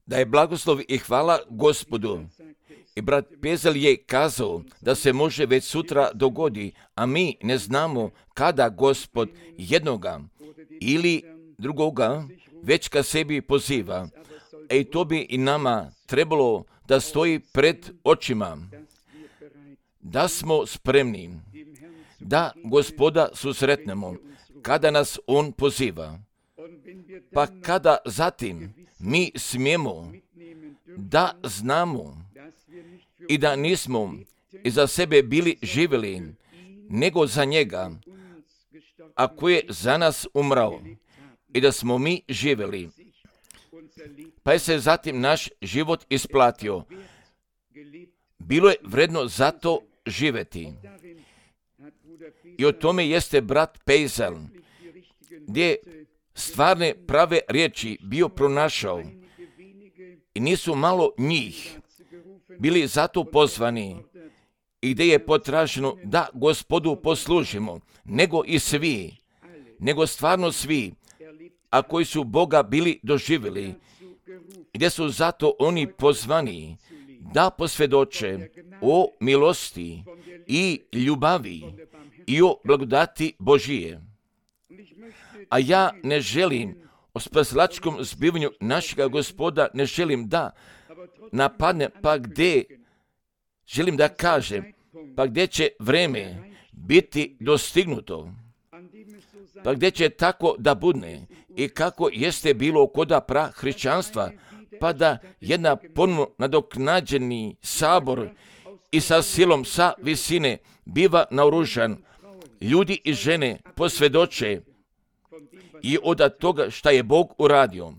Da je blagoslov i hvala Gospodu. I brat Pezel je kazao da se može već sutra dogodi, a mi ne znamo kada Gospod jednoga ili drugoga već ka sebi poziva. I to bi i nama trebalo da stoji pred očima, da smo spremni, da Gospoda susretnemo kada nas On poziva. Pa kada zatim mi smijemo da znamo i da nismo iza sebe bili živjeli, nego za njega, a koji je za nas umrao, i da smo mi živjeli. Pa je se zatim naš život isplatio. Bilo je vredno zato živjeti. I o tome jeste brat Pezel, gdje je stvarne prave riječi bio pronašao. I nisu malo njih bili zato pozvani i gdje je potraženo da Gospodu poslužimo, nego i svi, nego stvarno svi, a koji su Boga bili doživjeli, gdje su zato oni pozvani da posvjedoče o milosti i ljubavi i o blagodati Božije. A ja ne želim o spasilačkom zbivanju našega Gospoda, ne želim da napadne, pa gdje želim da kažem, pa gdje će vreme biti dostignuto, pa gdje će tako da budne i kako jeste bilo koda prahrišćanstva, pa da jedna ponovno nadoknađeni sabor i sa silom sa visine biva naoružan, ljudi i žene posvjedoče i od toga šta je Bog uradio.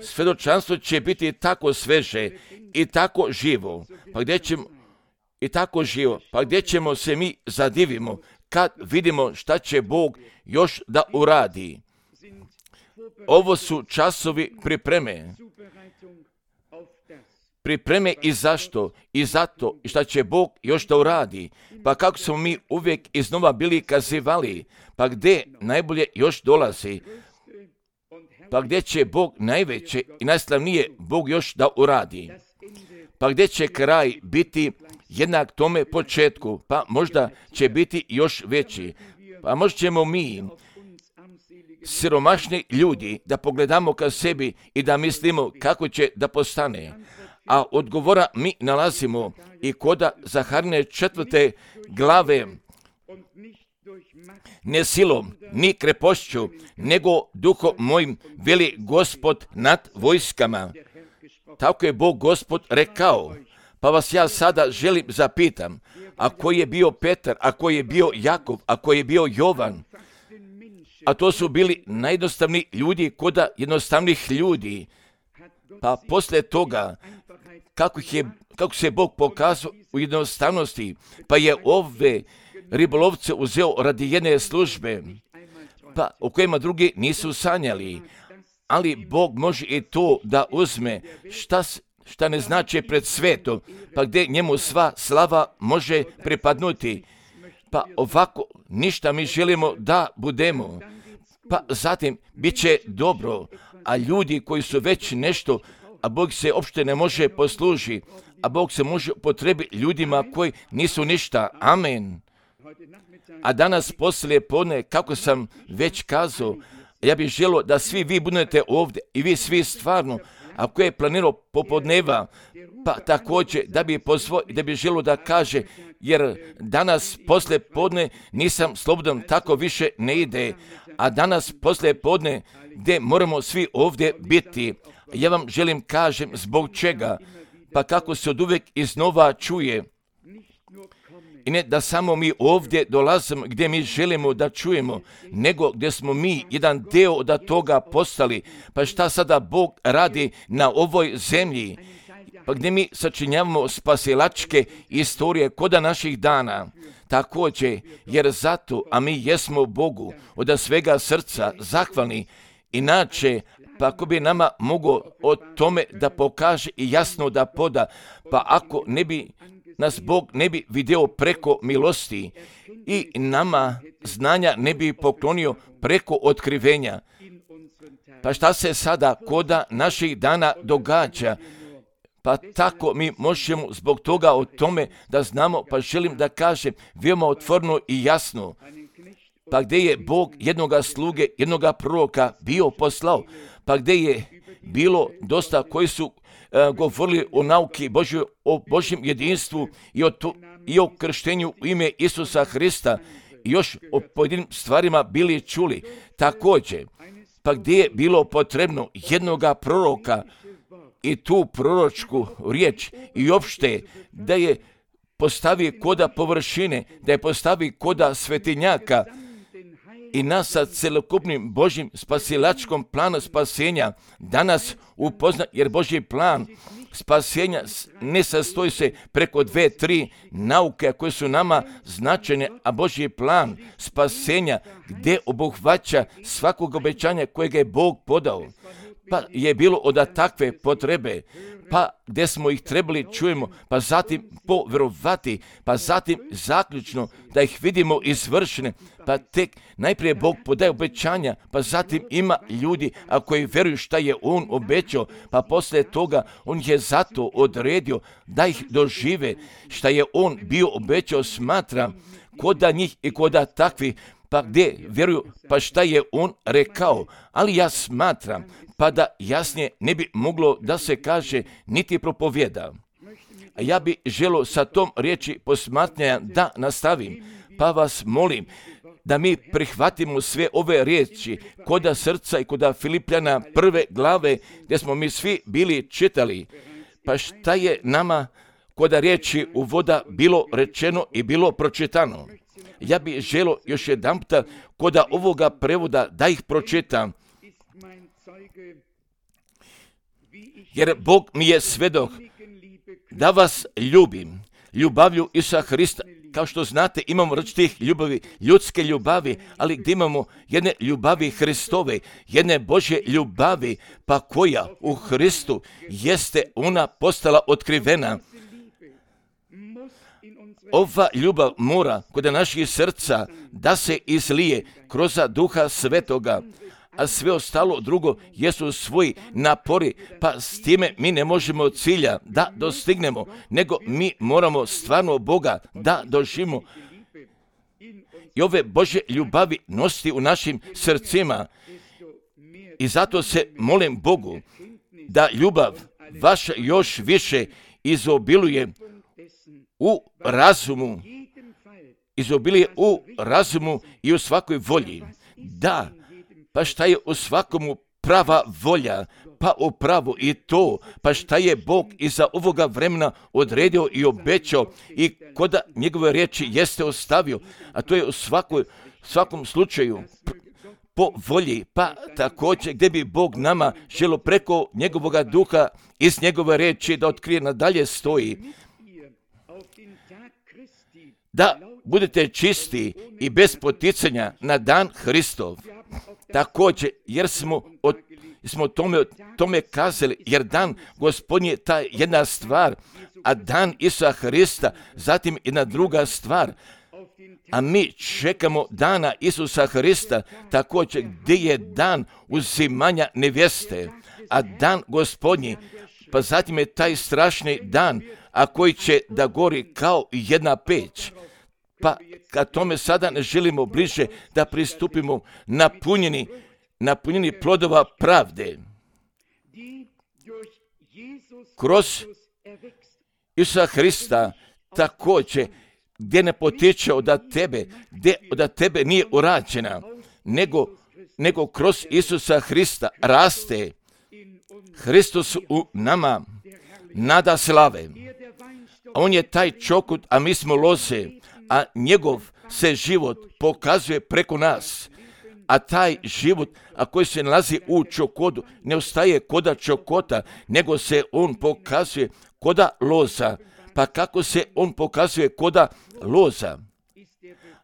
Svjedočanstvo će biti tako sveže i tako živo, pa gdje ćemo se mi zadivimo kad vidimo šta će Bog još da uradi. Ovo su časovi pripreme i zašto, i zato, i šta će Bog još da uradi. Pa kako smo mi uvijek iznova bili kazivali, pa gdje najbolje još dolazi, pa gdje će Bog najveće i najslavnije Bog još da uradi, pa gdje će kraj biti jednak tome početku, pa možda će biti još veći, pa možda ćemo mi, siromašni ljudi, da pogledamo ka sebi i da mislimo kako će da postane. A odgovora mi nalazimo i koda Zaharine 4. glave, ne silom, ni krepošću, nego duhom mojim, veli Gospod nad vojskama. Tako je Bog Gospod rekao. Pa vas ja sada želim zapitam, a koji je bio Petar, a koji je bio Jakov, a koji je bio Jovan, a to su bili najjednostavniji ljudi koda jednostavnih ljudi. Pa poslije toga, kako se Bog pokazao u jednostavnosti, pa je ove ribolovce uzeo radi jedne službe, pa o kojima drugi nisu sanjali. Ali Bog može i to da uzme šta ne znači pred svetom, pa gdje njemu sva slava može pripadnuti. Pa ovako ništa mi želimo da budemo. Pa zatim bit će dobro, a ljudi koji su već nešto, a Bog se uopšte ne može posluži, a Bog se može potrebiti ljudima koji nisu ništa. Amen. A danas poslije podne, kako sam već kazao, ja bih želio da svi vi budete ovdje i vi svi stvarno, ako je planirao popodneva, pa također da bi pozvao i da bi želio da kaže, jer danas poslije podne nisam slobodan, tako više ne ide, a danas poslije podne gdje moramo svi ovdje biti. Ja vam želim kažem zbog čega, pa kako se od uvijek iznova čuje. I ne da samo mi ovdje dolazimo gdje mi želimo da čujemo, nego gdje smo mi jedan deo od toga postali. Pa šta sada Bog radi na ovoj zemlji? Pa gdje mi sačinjavamo spasilačke istorije koda naših dana. Također, jer zato, a mi jesmo Bogu od svega srca zahvalni, inače, pa ako bi nama mogao o tome da pokaže i jasno da poda, pa ako ne bi nas Bog ne bi vidio preko milosti i nama znanja ne bi poklonio preko otkrivenja, Pa šta se sada koda naših dana događa? Pa tako mi možemo zbog toga o tome da znamo, pa želim da kažem veoma otvoreno i jasno. Pa gdje je Bog jednoga sluge, jednoga proroka bio poslao, pa gdje je bilo dosta koji su govorili o nauki Božjoj, o Božjem jedinstvu i o krštenju u ime Isusa Hrista i još o pojedinim stvarima bili čuli. Također, pa gdje je bilo potrebno jednoga proroka i tu proročku riječ i opšte da je postavi koda površine, da je postavi koda svetinjaka i nas sa celokupnim Božjim spasilačkom planu spasenja danas upozna, jer Božji plan spasenja ne sastoji se preko 2-3 nauke koje su nama značajne, a Božji plan spasenja gdje obuhvaća svakog obećanja kojeg je Bog podao. Pa je bilo od takve potrebe, pa gdje smo ih trebali čujemo, pa zatim povjerovati, pa zatim zaključno da ih vidimo izvršene, pa tek najprije Bog podaje obećanja, pa zatim ima ljudi, a koji vjeruju šta je On obećao, pa poslije toga On je zato odredio da ih dožive, šta je On bio obećao, smatra koda njih i koda takvi, pa gdje vjeruju, pa šta je On rekao, ali ja smatram, pa da jasnije ne bi moglo da se kaže niti propovjeda. A ja bi želio sa tom riječi posmatranja da nastavim, pa vas molim da mi prihvatimo sve ove riječi koda srca i koda Filipljana 1. glave gdje smo mi svi bili čitali. Pa šta je nama koda riječi uvoda bilo rečeno i bilo pročitano? Ja bih želio još jedanputa koda ovoga prevoda da ih pročitam. Jer Bog mi je svedok da vas ljubim, ljubavlju Isusa Hrista. Kao što znate, imamo različitih ljubavi, ljudske ljubavi, ali gdje imamo jedne ljubavi Hristove, jedne Božje ljubavi, pa koja u Hristu jeste ona postala otkrivena. Ova ljubav mora kod naših srca da se izlije kroz Duha Svetoga, a sve ostalo drugo jesu svoji napori, pa s time mi ne možemo cilja da dostignemo, nego mi moramo stvarno Boga da doživimo i ove Božje ljubavi nositi u našim srcima. I zato se molim Bogu da ljubav vaša još više izobiluje u razumu, i u svakoj volji. Da, pa šta je u svakomu prava volja, pa upravo i to, pa šta je Bog iza ovoga vremena odredio i obećao i koda njegove riječi jeste ostavio, a to je u svakom slučaju po volji, pa također gdje bi Bog nama želio preko njegovoga duha iz njegove riječi da otkrije nadalje stoji. Da budete čisti i bez poticanja na dan Hristov. Također, jer smo tome kazali, jer dan Gospodnji je ta jedna stvar, a dan Isusa Hrista zatim jedna druga stvar. A mi čekamo dana Isusa Hrista, također gdje je dan uzimanja nevjeste, a dan Gospodnji, pa zatim je taj strašni dan, a koji će da gori kao jedna peć. Pa kad tome sada ne želimo bliže da pristupimo napunjeni plodova pravde. Kroz Isusa Hrista također gdje ne potiče od tebe, gdje od tebe nije urađena, nego kroz Isusa Hrista raste Hristos u nama, nada slave. On je taj čokut, a mi smo loze, a njegov se život pokazuje preko nas. A taj život, a koji se nalazi u čokodu, ne ostaje koda čokota, nego se on pokazuje koda loza. Pa kako se on pokazuje koda loza?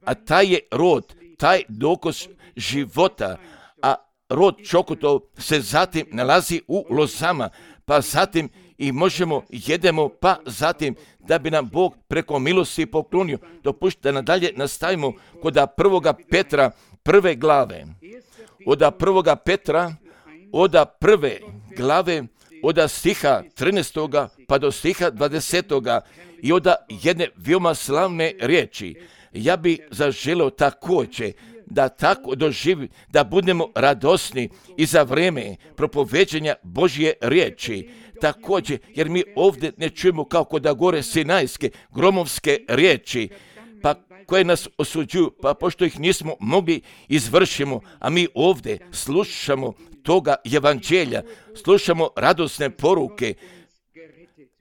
A taj je rod, taj dokaz života, a rod čokotov se zatim nalazi u lozama, pa zatim i možemo jedemo, pa zatim da bi nam Bog preko milosti poklonio. Dopušta da nadalje nastavimo kod 1. Petra 1. glave. Od 1. Petra od prve glave, od stiha 13. pa do stiha 20. i od jedne veoma slavne riječi. Ja bi zaželeo također da tako doživi, da budemo radosni i za vrijeme propoveđenja Božje riječi. Također, jer mi ovdje ne čujemo kako da gore sinajske, gromovske riječi, pa koje nas osuđuju, pa pošto ih nismo mogli izvršimo, a mi ovdje slušamo toga evanđelja, slušamo radosne poruke,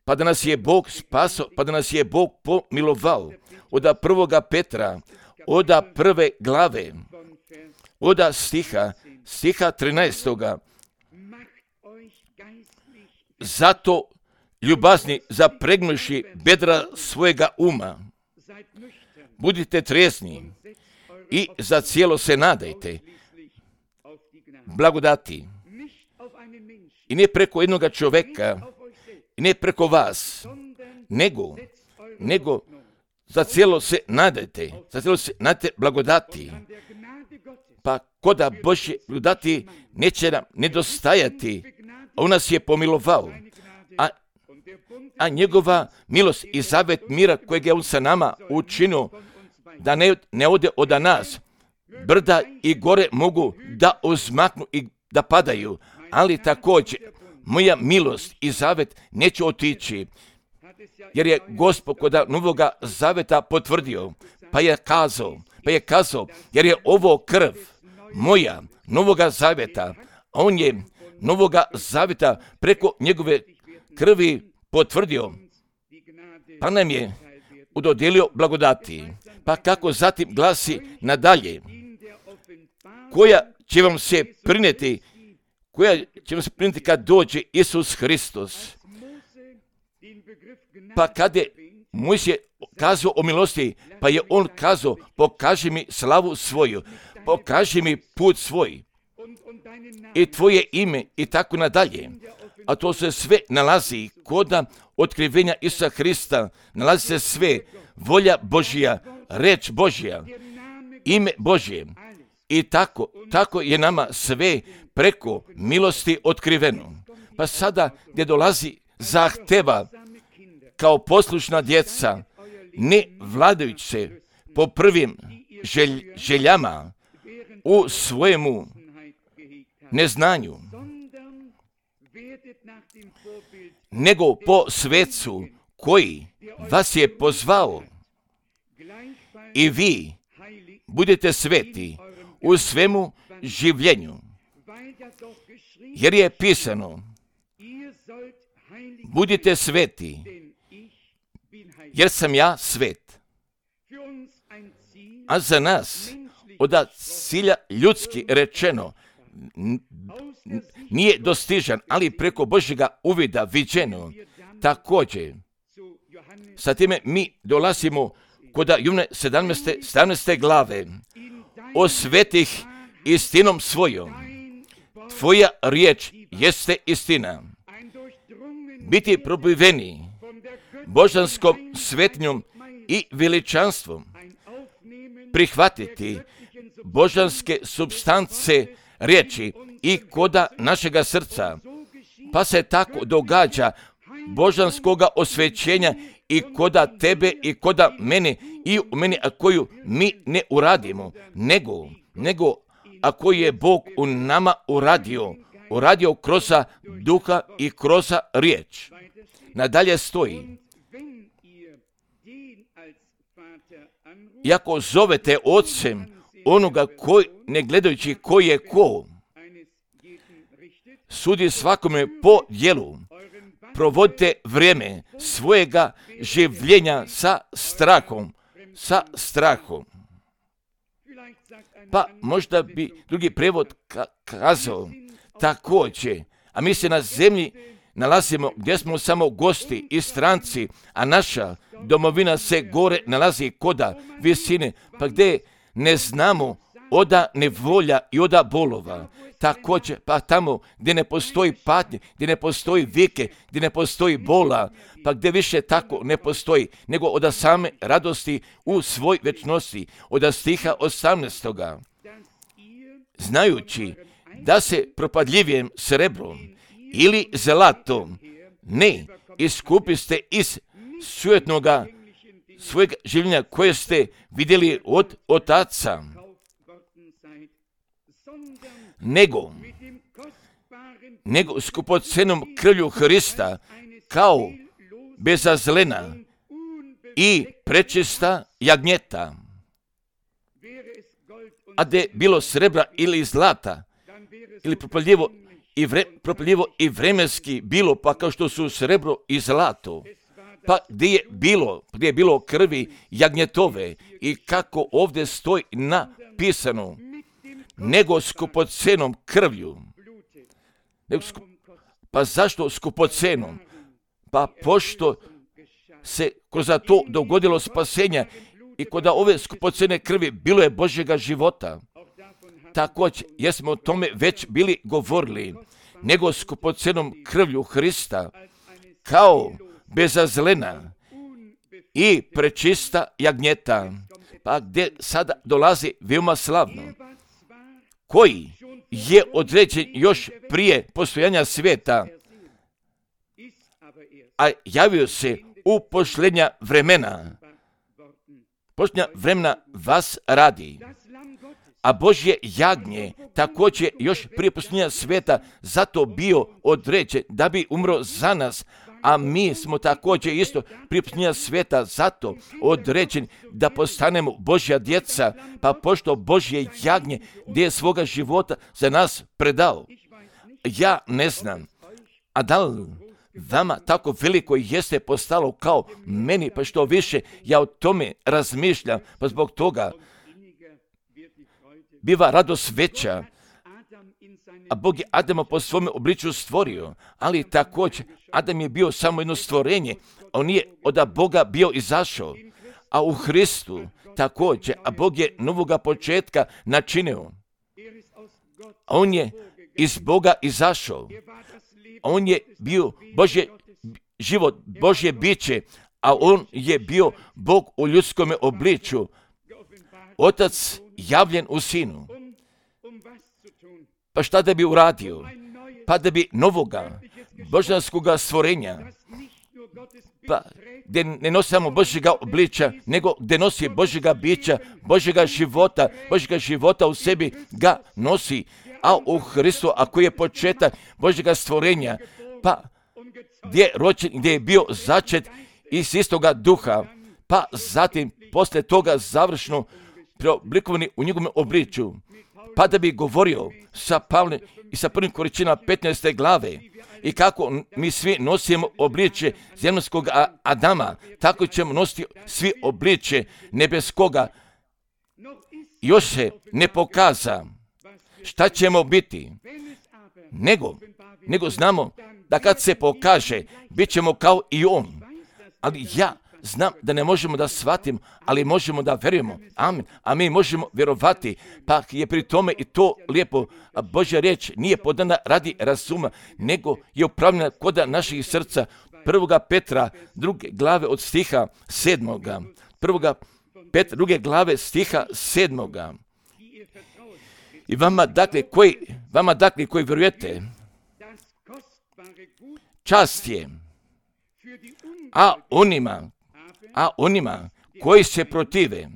pa da nas je Bog spasao, pa da nas je Bog pomilovao. Od 1. Petra, od prve glave, od stiha 13. Zato, ljubazni, zapregnuši bedra svojega uma, budite trijezni i za cijelo se nadajte blagodati. I ne preko jednog čovjeka, i ne preko vas, nego za cijelo se nadajte, blagodati. Pa koda Božje blagodati neće nam nedostajati, a on nas je pomilovao, a njegova milost i zavet mira kojeg je on sa nama učinio, da ne ode od nas. Brda i gore mogu da uzmaknu i da padaju, ali također moja milost i zavet neće otići, jer je Gospod kod Novoga zaveta potvrdio, pa je kazao, jer je ovo krv moja Novoga zaveta, a on je Novoga zaveta preko njegove krvi potvrdio, pa nam je udodijelio blagodati. Pa kako zatim glasi nadalje, koja će vam se prinijeti kad dođe Isus Hristos. Pa kada je Mojsije kazao o milosti, pa je on kazao, pokaži mi slavu svoju, pokaži mi put svoj i tvoje ime i tako nadalje. A to se sve nalazi kod otkrivenja Isusa Hrista, nalazi se sve, volja Božja, reč Božja, ime Božje. I tako je nama sve preko milosti otkriveno. Pa sada gdje dolazi zahteva kao poslušna djeca, ne vladajući se po prvim željama u svojemu neznanju, nego po svecu koji vas je pozvao. I vi budete sveti u svemu življenju, jer je pisano, budite sveti, jer sam ja svet. A za nas, od cilja ljudski rečeno, nije dostižan, ali preko Božjega uvida viđeno. Također, sa time mi dolazimo kod Jovana 17. glave, osvetih istinom svojom. Tvoja riječ jeste istina. Biti probiveni božanskom svetnjom i veličanstvom, prihvatiti božanske substance riječi i koda našega srca, pa se tako događa božanskoga osvećenja i koda tebe i koda mene i u meni, a koju mi ne uradimo, nego ako je Bog u nama uradio kroz duha i kroz riječ. Nadalje stoji, i ako zovete ocem onoga koji, ne gledajući ko je ko, sudi svakome po djelu, provodite vrijeme svojega življenja sa strahom. Pa možda bi drugi prevod kazao također, a mi se na zemlji nalazimo gdje smo samo gosti i stranci, a naša domovina se gore nalazi koda visine, pa gdje ne znamo oda nevolja i oda bolova. Također, pa tamo gdje ne postoji patnje, gdje ne postoji vike, gdje ne postoji bola, pa gdje više tako ne postoji, nego od same radosti u svoj večnosti, od stiha 18. Znajući da se propadljivijem srebrom ili zlatom ne iskupiste iz sujetnoga svojeg življenja koje ste vidjeli od otaca, nego skupocenom krvlju Hrista kao bezazlena i prečista jagnjeta. A da je bilo srebra ili zlata, ili propaljivo i vremenski bilo, pa kao što su srebro i zlato, pa gdje je bilo krvi jagnjetove i kako ovdje stoji napisano, nego skupocenom krvlju. Pa zašto skupocenom? Pa pošto se kroz to dogodilo spasenja i kod ove skupocene krvi bilo je Božjega života. Također, jer smo o tome već bili govorili, nego skupocenom krvlju Hrista, kao bezazlena i prečista jagnjeta, pa gdje sada dolazi veoma slavno, koji je određen još prije postojanja svijeta, a javio se u posljednja vremena. Posljednja vremena vas radi. A Božje jagnje također još prije postojanja svijeta zato bio određen da bi umro za nas, a mi smo također isto prije postojanja svijeta zato određeni da postanemo Božja djeca, pa pošto Božje jagnje gdje je svoga života za nas predao. Ja ne znam, a da li vama tako veliko jeste postalo kao meni, pa što više ja o tome razmišljam, pa zbog toga biva radost veća. A Bog je Adama po svome obličju stvorio, ali također Adam je bio samo jedno stvorenje, on nije od Boga bio izašao, a u Hristu također, a Bog je novoga početka načinio. On je iz Boga izašao, on je bio Božje život, Božje biće, a on je bio Bog u ljudskom obličju, Otac javljen u Sinu. Pa šta da bi uradio? Pa da bi novoga božanskoga stvorenja, pa gdje ne nosi samo Božjega obličja, nego gdje nosi Božjega bića, Božjega života u sebi ga nosi, a u Hristu, ako je početak Božjega stvorenja, pa gdje je bio začet iz istoga duha, pa zatim poslije toga završno preoblikovani u njegovom obličju, pa da bi govorio sa Pavlom i sa 1. Korinćanima 15. glave i kako mi svi nosimo obličje zemaljskog Adama, tako ćemo nositi svi obličje nebeskoga. Još se ne pokaza šta ćemo biti, nego znamo da kad se pokaže, bit ćemo kao i on. Ali ja znam da ne možemo da shvatimo, ali možemo da vjerujemo. Amen. A mi možemo vjerovati, pa je pri tome i to lijepo. A Božja riječ nije podana radi razuma, nego je upravljena kod naših srca. 1. Petra, 2. glave od stiha 7. 1. Petra, 2. glave stiha 7. I vama dakle koji vjerujete, čast je, a onima koji se protive,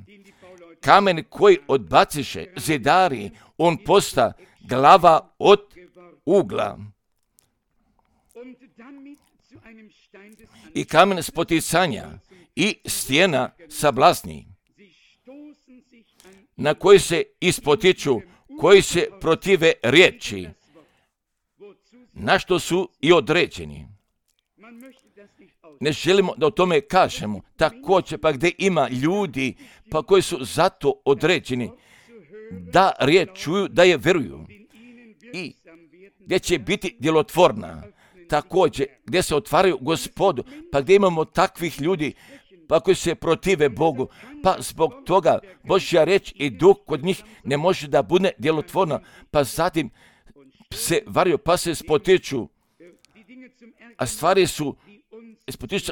kamen koji odbaciše zidari, on posta glava od ugla. I kamen spoticanja i stijena sablasni, na koji se ispotiču, koji se protive riječi, na što su i određeni. Ne želimo da o tome kažemo. Također pa gdje ima ljudi pa koji su zato određeni da riječ čuju, da je vjeruju i gdje će biti djelotvorna. Također gdje se otvaraju Gospodu, pa gdje imamo takvih ljudi pa koji se protive Bogu, pa zbog toga Božja riječ i duh kod njih ne može da bude djelotvorna, pa zatim se varaju, pa se spotiču,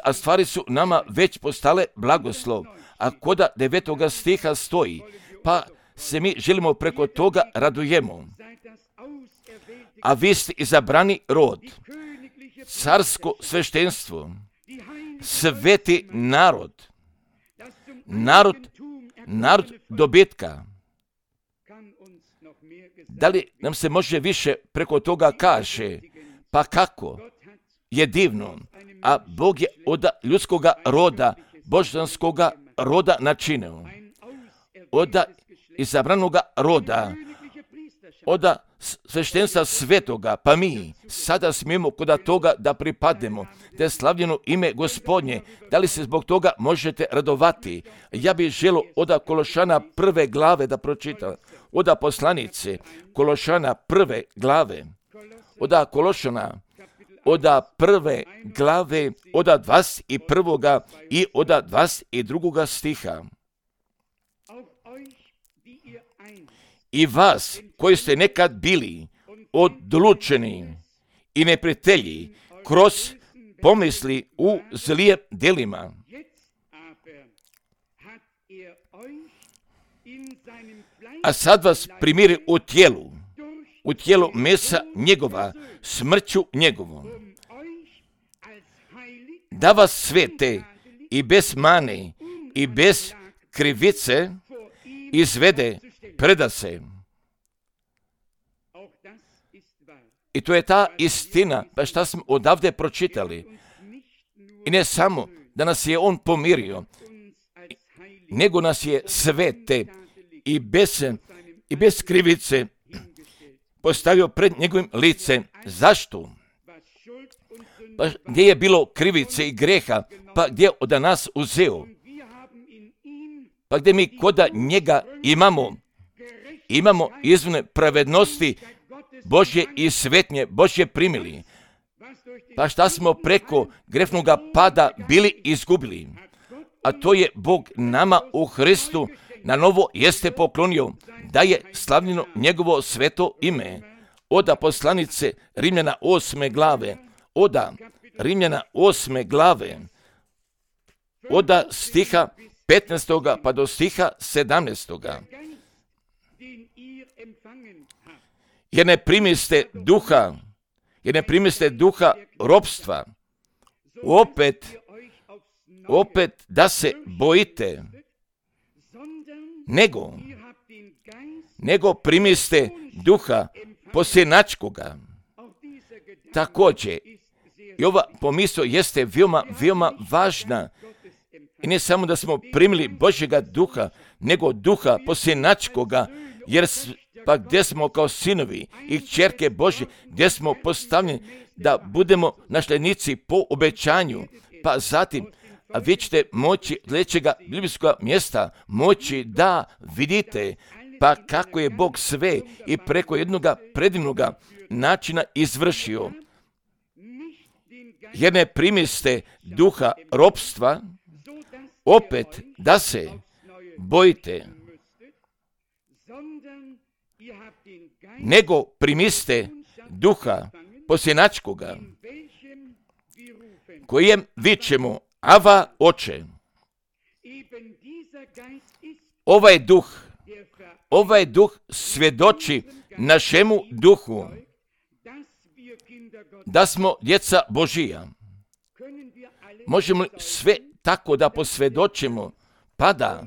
a stvari su nama već postale blagoslov. A koda 9. stiha stoji, pa se mi želimo preko toga radujemo. a vi ste izabrani rod, carsko sveštenstvo, sveti narod, narod dobitka. Da li nam se može više preko toga kaže? Pa kako? Je divno. A Bog je od ljudskoga roda, božanskoga roda načinio. Od izabranoga roda, od sveštenstva svetoga, pa mi sada smijemo kod toga da pripadnemo, da je slavljeno ime Gospodnje. Da li se zbog toga možete radovati? Ja bih želio od Kološana 1. glave da pročitam, od poslanice Kološana 1. glave, od Kološana, od 1. glave, od 21. i od 22. stiha. I vas, koji ste nekad bili odlučeni i neprijatelji kroz pomisli u zlijem djelima, a sad vas primiri u tijelu mesa njegova, smrću njegovom, da vas svete i bez mane i bez krivice izvede, preda se. I to je ta istina, pa šta smo odavde pročitali. I ne samo da nas je on pomirio, nego nas je svete i bez krivice postavio pred njegovim licem. Zašto? Pa gdje je bilo krivice i greha, pa gdje od nas uzeo? Pa gdje mi kod njega imamo izvone pravednosti Božje i svetnje Božje primili. Pa šta smo preko grešnoga pada bili izgubili? A to je Bog nama u Hristu na novo jeste poklonio, da je slavljeno njegovo sveto ime. Od poslanice Rimljana 8. glave, od Rimljana 8. glave, od stiha 15. pa do stiha 17. Jer ne primiste duha ropstva, opet da se bojite, nego primiste duha posjenačkoga. Također, i ova pomisao jeste veoma važna. I ne samo da smo primili Božjega duha, nego duha posjenačkoga, jer pa gdje smo kao sinovi i kćerke Božje, gdje smo postavljeni da budemo nasljednici po obećanju, pa zatim vi ćete moći sljedećega biblijskog mjesta moći da vidite pa kako je Bog sve i preko jednoga predivnoga načina izvršio. Jer ne primiste duha ropstva, opet da se bojite, nego primiste duha posjenačkoga, kojem vičemo Ava, Oče. Ovaj duh svjedoči našemu duhu da smo djeca Božija. Možemo li sve tako da posvjedočimo, pa da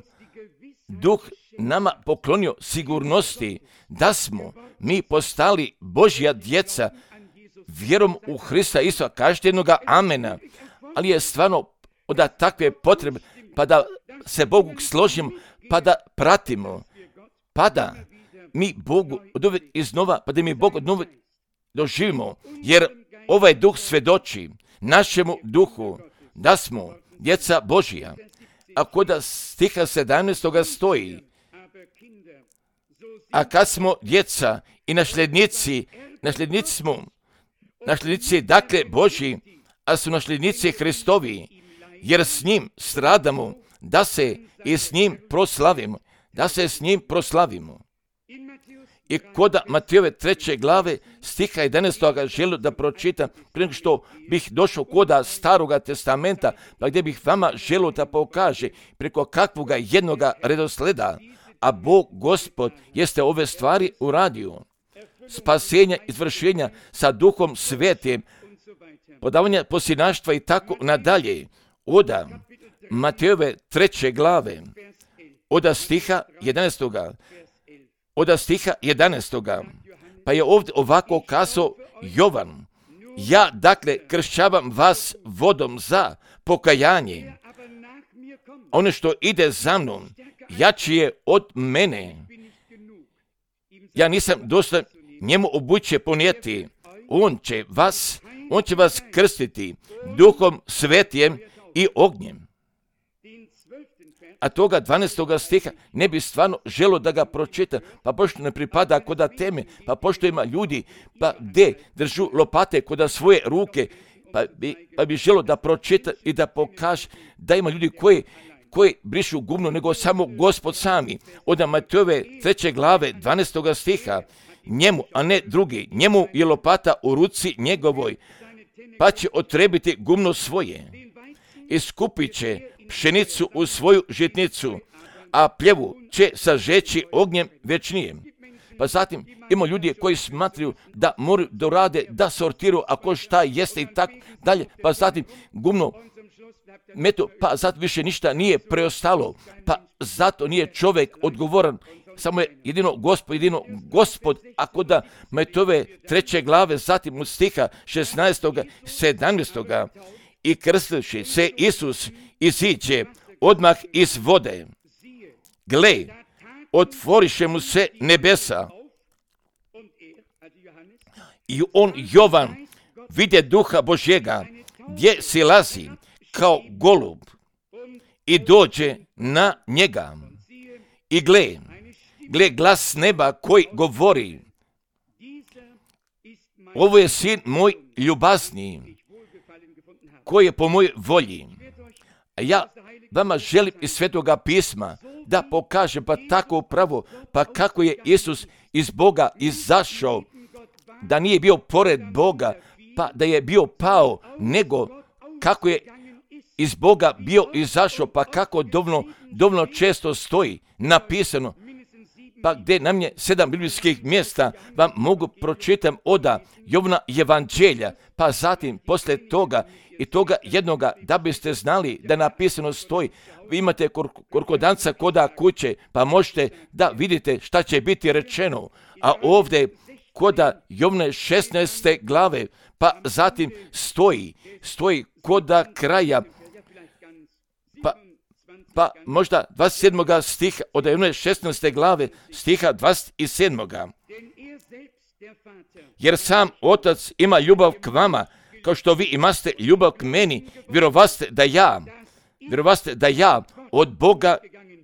duh nama poklonio sigurnosti da smo mi postali Božja djeca vjerom u Hrista Isusa, kažete jednoga amena, ali je stvarno od takve potrebe pa da se Bogu složimo, pa da pratimo, pa da mi Bogu od uvijek iznova, pa da mi Bog od uvijek doživimo, jer ovaj duh svjedoči našemu duhu da smo djeca Božija. A kod stiha 17. stoji, a kad smo djeca i nasljednici smo, nasljednici dakle Božji, a su nasljednici Hristovi, jer s njim stradamo, da se i s njim proslavimo. I kod Matejove 3. glave stiha 11. želim da pročitam, prije nego što bih došao kod Staroga testamenta, pa gdje bih vama želio da pokaže preko kakvoga jednoga redosleda, a Bog Gospod jeste ove stvari uradio. spasenja, izvršenja sa Duhom Svetim, podavanja posinaštva i tako nadalje. Oda Matejove 3. glave, oda stiha 11. Oda stiha 11. Pa je ovdje ovako kazao Jovan: ja dakle kršćavam vas vodom za pokajanje. Ono što ide za mnom, jači je od mene. Ja nisam dostojan njemu obuće ponijeti. On će vas krstiti Duhom Svetim i ognjem. A toga 12. stiha ne bi stvarno želo da ga pročita, pa pošto ne pripada koda teme, pa pošto ima ljudi, pa gdje držu lopate koda svoje ruke, pa bi želo da pročita i da pokaže da ima ljudi koji brišu gumno nego samo Gospod sami. Od Matejove 3. glave 12. stiha, njemu, a ne drugi, njemu je lopata u ruci njegovoj, pa će otrebiti gumno svoje i skupit će pšenicu u svoju žitnicu, a pljevu će sažeći ognjem večnijem. Pa zatim ima ljudi koji smatraju da moraju dorade, da sortiraju ako šta jeste i tako dalje, pa zatim gumno metu, pa zato više ništa nije preostalo, pa zato nije čovjek odgovoran, samo je jedino Gospod, ako da Matejove 3. glave, zatim od stiha 16. 17. i krstivši se Isus iziđe odmah iz vode. Gle, otvoriše mu se nebesa i on, Jovan, vidje Duha Božjega, gdje silazi kao golub i dođe na njega. I gle glas neba koji govori: ovo je sin moj ljubazniji, koji je po mojoj volji. A ja vama želim iz Svetoga pisma da pokažem pa tako upravo, pa kako je Isus iz Boga izašao, da nije bio pored Boga, pa da je bio pao, nego kako je iz Boga bio izašao, pa kako dovoljno često stoji napisano, pa gdje nam je 7 biblijskih mjesta vam mogu pročitam oda Jovana Evanđelja, pa zatim poslije toga i toga jednoga, da biste znali da napisano stoji, vi imate korkodanca koda kuće, pa možete da vidite šta će biti rečeno, a ovdje koda Jovane 16. glave, pa zatim stoji koda kraja, pa možda 27. stiha od Jovane 16. glave, stiha 27. Jer sam Otac ima ljubav k vama, kao što vi imate ljubav k meni, vjerovaste da ja od Boga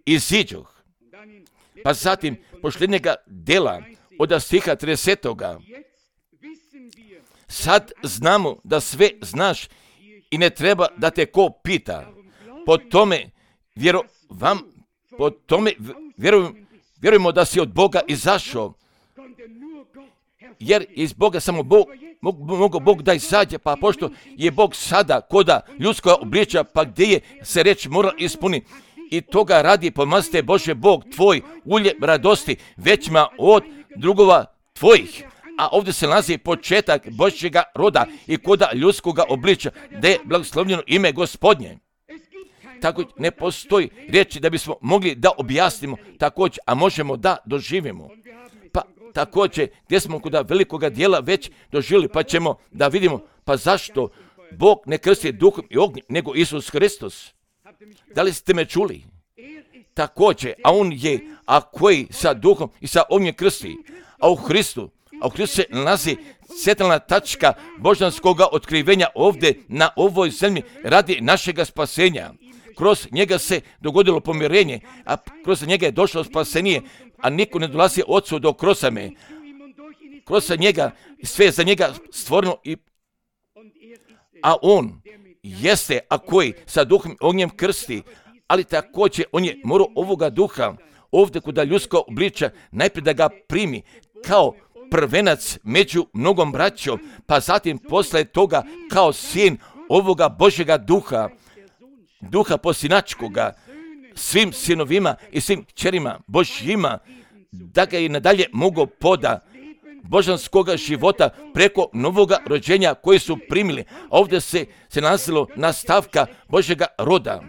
iziđoh. Pa zatim posljednjega dela od stiha 30. Sad znamo da sve znaš i ne treba da te ko pita. Po tome vjerujemo da si od Boga izašao, jer iz Boga samo mogo Bog da izađe, pa pošto je Bog sada koda ljudskoga obličja, pa gdje je se reč mora ispuniti, i toga radi pomazite Bože Bog tvoj ulje radosti većima od drugova tvojih. A ovdje se nalazi početak Božjega roda i koda ljudskoga obličja, da je blagoslovljeno ime Gospodnje. Tako ne postoji riječi da bismo mogli da objasnimo također, a možemo da doživimo. Pa također, gdje smo kod velikoga dijela već doživjeli, pa ćemo da vidimo, pa zašto Bog ne krsti duhom i ognjem, nego Isus Hristos. Da li ste me čuli? Također, a on je, a koji sa duhom i sa ognjem krsti, a u Hristu se nalazi centralna tačka božanskoga otkrivenja ovdje na ovoj zemlji radi našega spasenja. Kroz njega se dogodilo pomirenje, a kroz njega je došlo spasenje, a niko ne dolazi Otcu do krosame. Kroz njega, sve je za njega stvoreno, a on jeste, a koji sa duhom i ognjem krsti, ali također on je morao ovoga duha ovdje kod ljudskog obličja najprije da ga primi kao prvenac među mnogom braćom, pa zatim posle toga kao sin ovoga Božjega duha posinačkoga, svim sinovima i svim kćerima Božjima, da ga i nadalje mogu božanskoga života preko novoga rođenja koji su primili. Ovdje se nalazilo nastavka Božjega roda.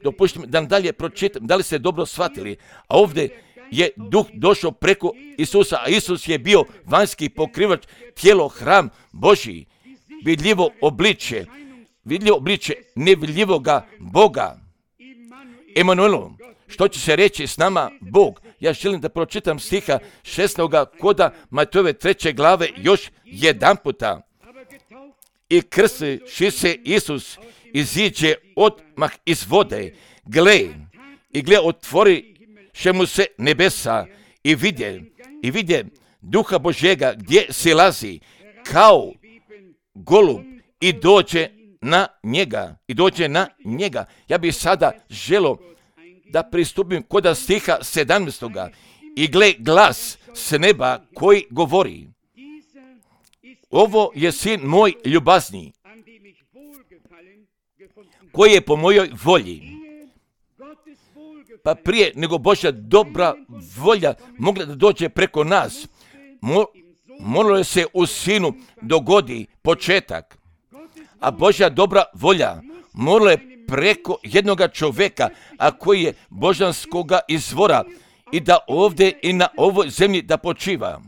Dopustite mi da dalje pročitam, da li ste dobro shvatili. A ovdje je duh došao preko Isusa, a Isus je bio vanjski pokrivač, tijelo, hram Božji, vidljivo obličje nevidljivoga Boga. Emanuelu, što će se reći s nama Bog? Ja želim da pročitam stiha 16. koda Matejove 3. glave još jedan puta. I krstiši se Isus iziđe odmah iz vode. Gle, otvori še mu se nebesa i vidje Duha Božjega gdje silazi kao golub i dođe na njega. Ja bih sada želio da pristupim kod stiha 17. I gle, glas s neba koji govori: ovo je sin moj ljubazni, koji je po mojoj volji. Pa prije nego Božja dobra volja mogla da dođe preko nas, moralo je se u sinu dogodi početak. A Božja dobra volja morala je preko jednoga čovjeka, a koji je božanskoga izvora, i da ovdje i na ovoj zemlji da počiva.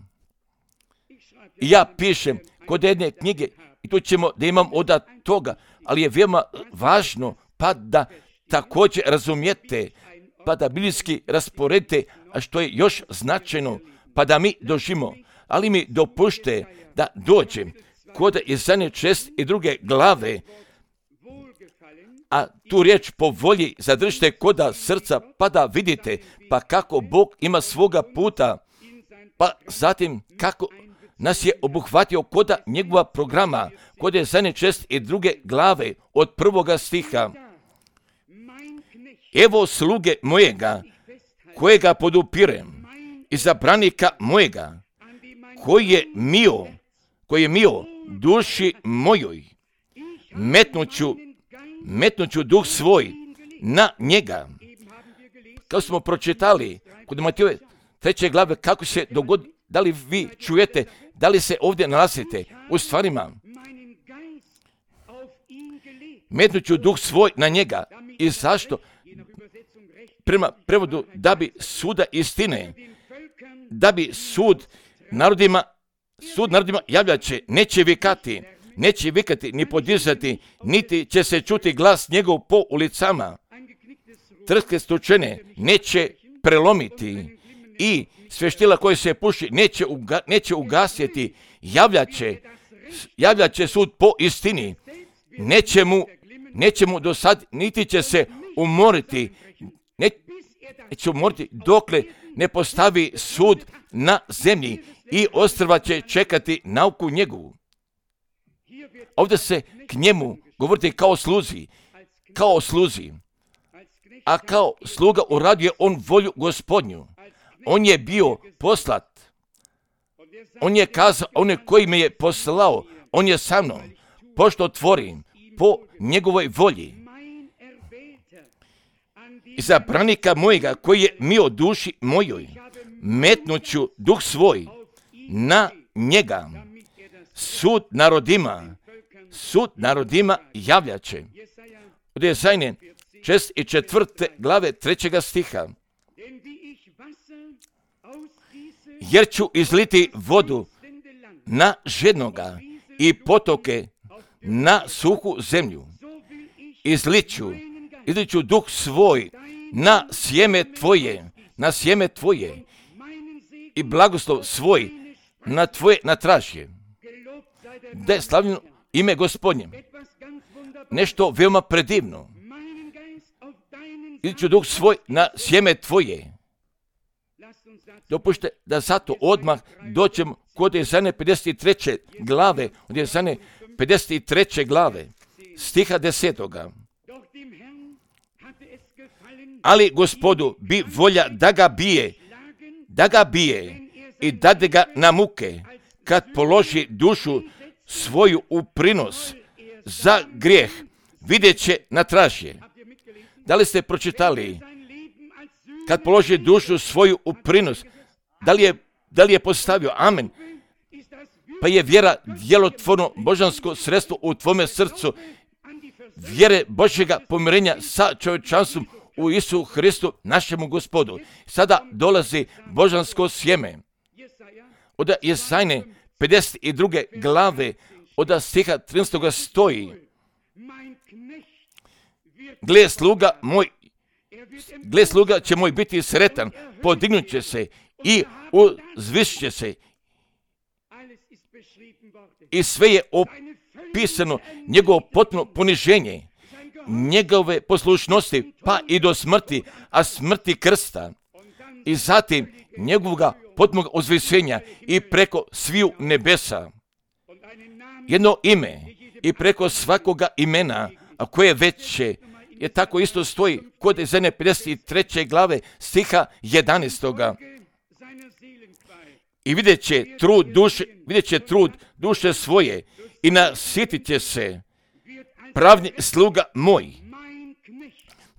I ja pišem kod jedne knjige, i tu ćemo da imam od toga, ali je veoma važno pa da također razumijete, pa da biblijski rasporedite, a što je još značajno, pa da mi dožimo. Ali mi dopušte da dođem kod Izaije 62. glave, a tu riječ po volji zadržite koda srca, pa da vidite pa kako Bog ima svoga puta, pa zatim kako nas je obuhvatio koda njegova programa, kod Izaije 62. glave od 1. stiha. Evo sluge mojega, kojega podupirem, izabranika mojega, koji je mio duši mojoj, metnuću duh svoj na njega. Kao smo pročitali kod Matejove 3. glave, kako se dogodi, da li vi čujete, da li se ovdje nalazite u stvarima? Metnuću duh svoj na njega. I zašto? Prema prevodu, da bi suda istine, da bi sud narodima javljat će, neće vikati ni podizati, niti će se čuti glas njegov po ulicama. Trske stučene neće prelomiti i sveštila koje se puši neće ugasiti. Javljat će sud po istini. Neće mu do sad, niti će se umoriti, dokle ne postavi sud na zemlji, i ostrva će čekati nauku njegovu. Ovdje se k njemu govoriti kao sluzi, a kao sluga uradio on volju Gospodnju. On je bio poslat. On je kazao, on je koji me je poslao, on je sa mnom, pošto tvorim po njegovoj volji. Izabranika mojega, koji je mio duši mojoj, metnuću duh svoj na njega. Sud narodima javljaće. Od Izaije 64. glave 3. stiha. Jer ću izliti vodu na žednoga i potoke na suhu zemlju. Izliću duh svoj na sjeme tvoje i blagoslov svoj na tražje. Da je slavljeno ime Gospodnje. Nešto veoma predivno. Izliću duh svoj na sjeme tvoje. Dopušte da zato odmah dođem kod Izaije 53. glave, od Izaije 53. glave, stiha 10. Ali Gospodu bi volja da ga bije i dade ga na muke, kad položi dušu svoju u prinos za grijeh, vidjet će na tražje. Da li ste pročitali? Kad položi dušu svoju u prinos, da li je Da li je postavio? Amen. Pa je vjera djelotvorno božansko sredstvo u tvome srcu, vjere Božjega pomirenja sa čovječanstvom u Isu Hristu, našemu Gospodu. Sada dolazi božansko sjeme. Od Jesajne 52. glave, od stiha 13. stoji: Gle, sluga će moj biti sretan, podignut će se i uzvišit će se. I sve je opisano njegovo potpuno poniženje, njegove poslušnosti, pa i do smrti, a smrti krsta. I zatim njegovoga potpunog uzvišenja i preko sviju nebesa. Jedno ime i preko svakoga imena, a koje veće, je tako isto stoji kod Jesajne 53. glave stiha 11. I vidjet će trud duše svoje i nasitit će se.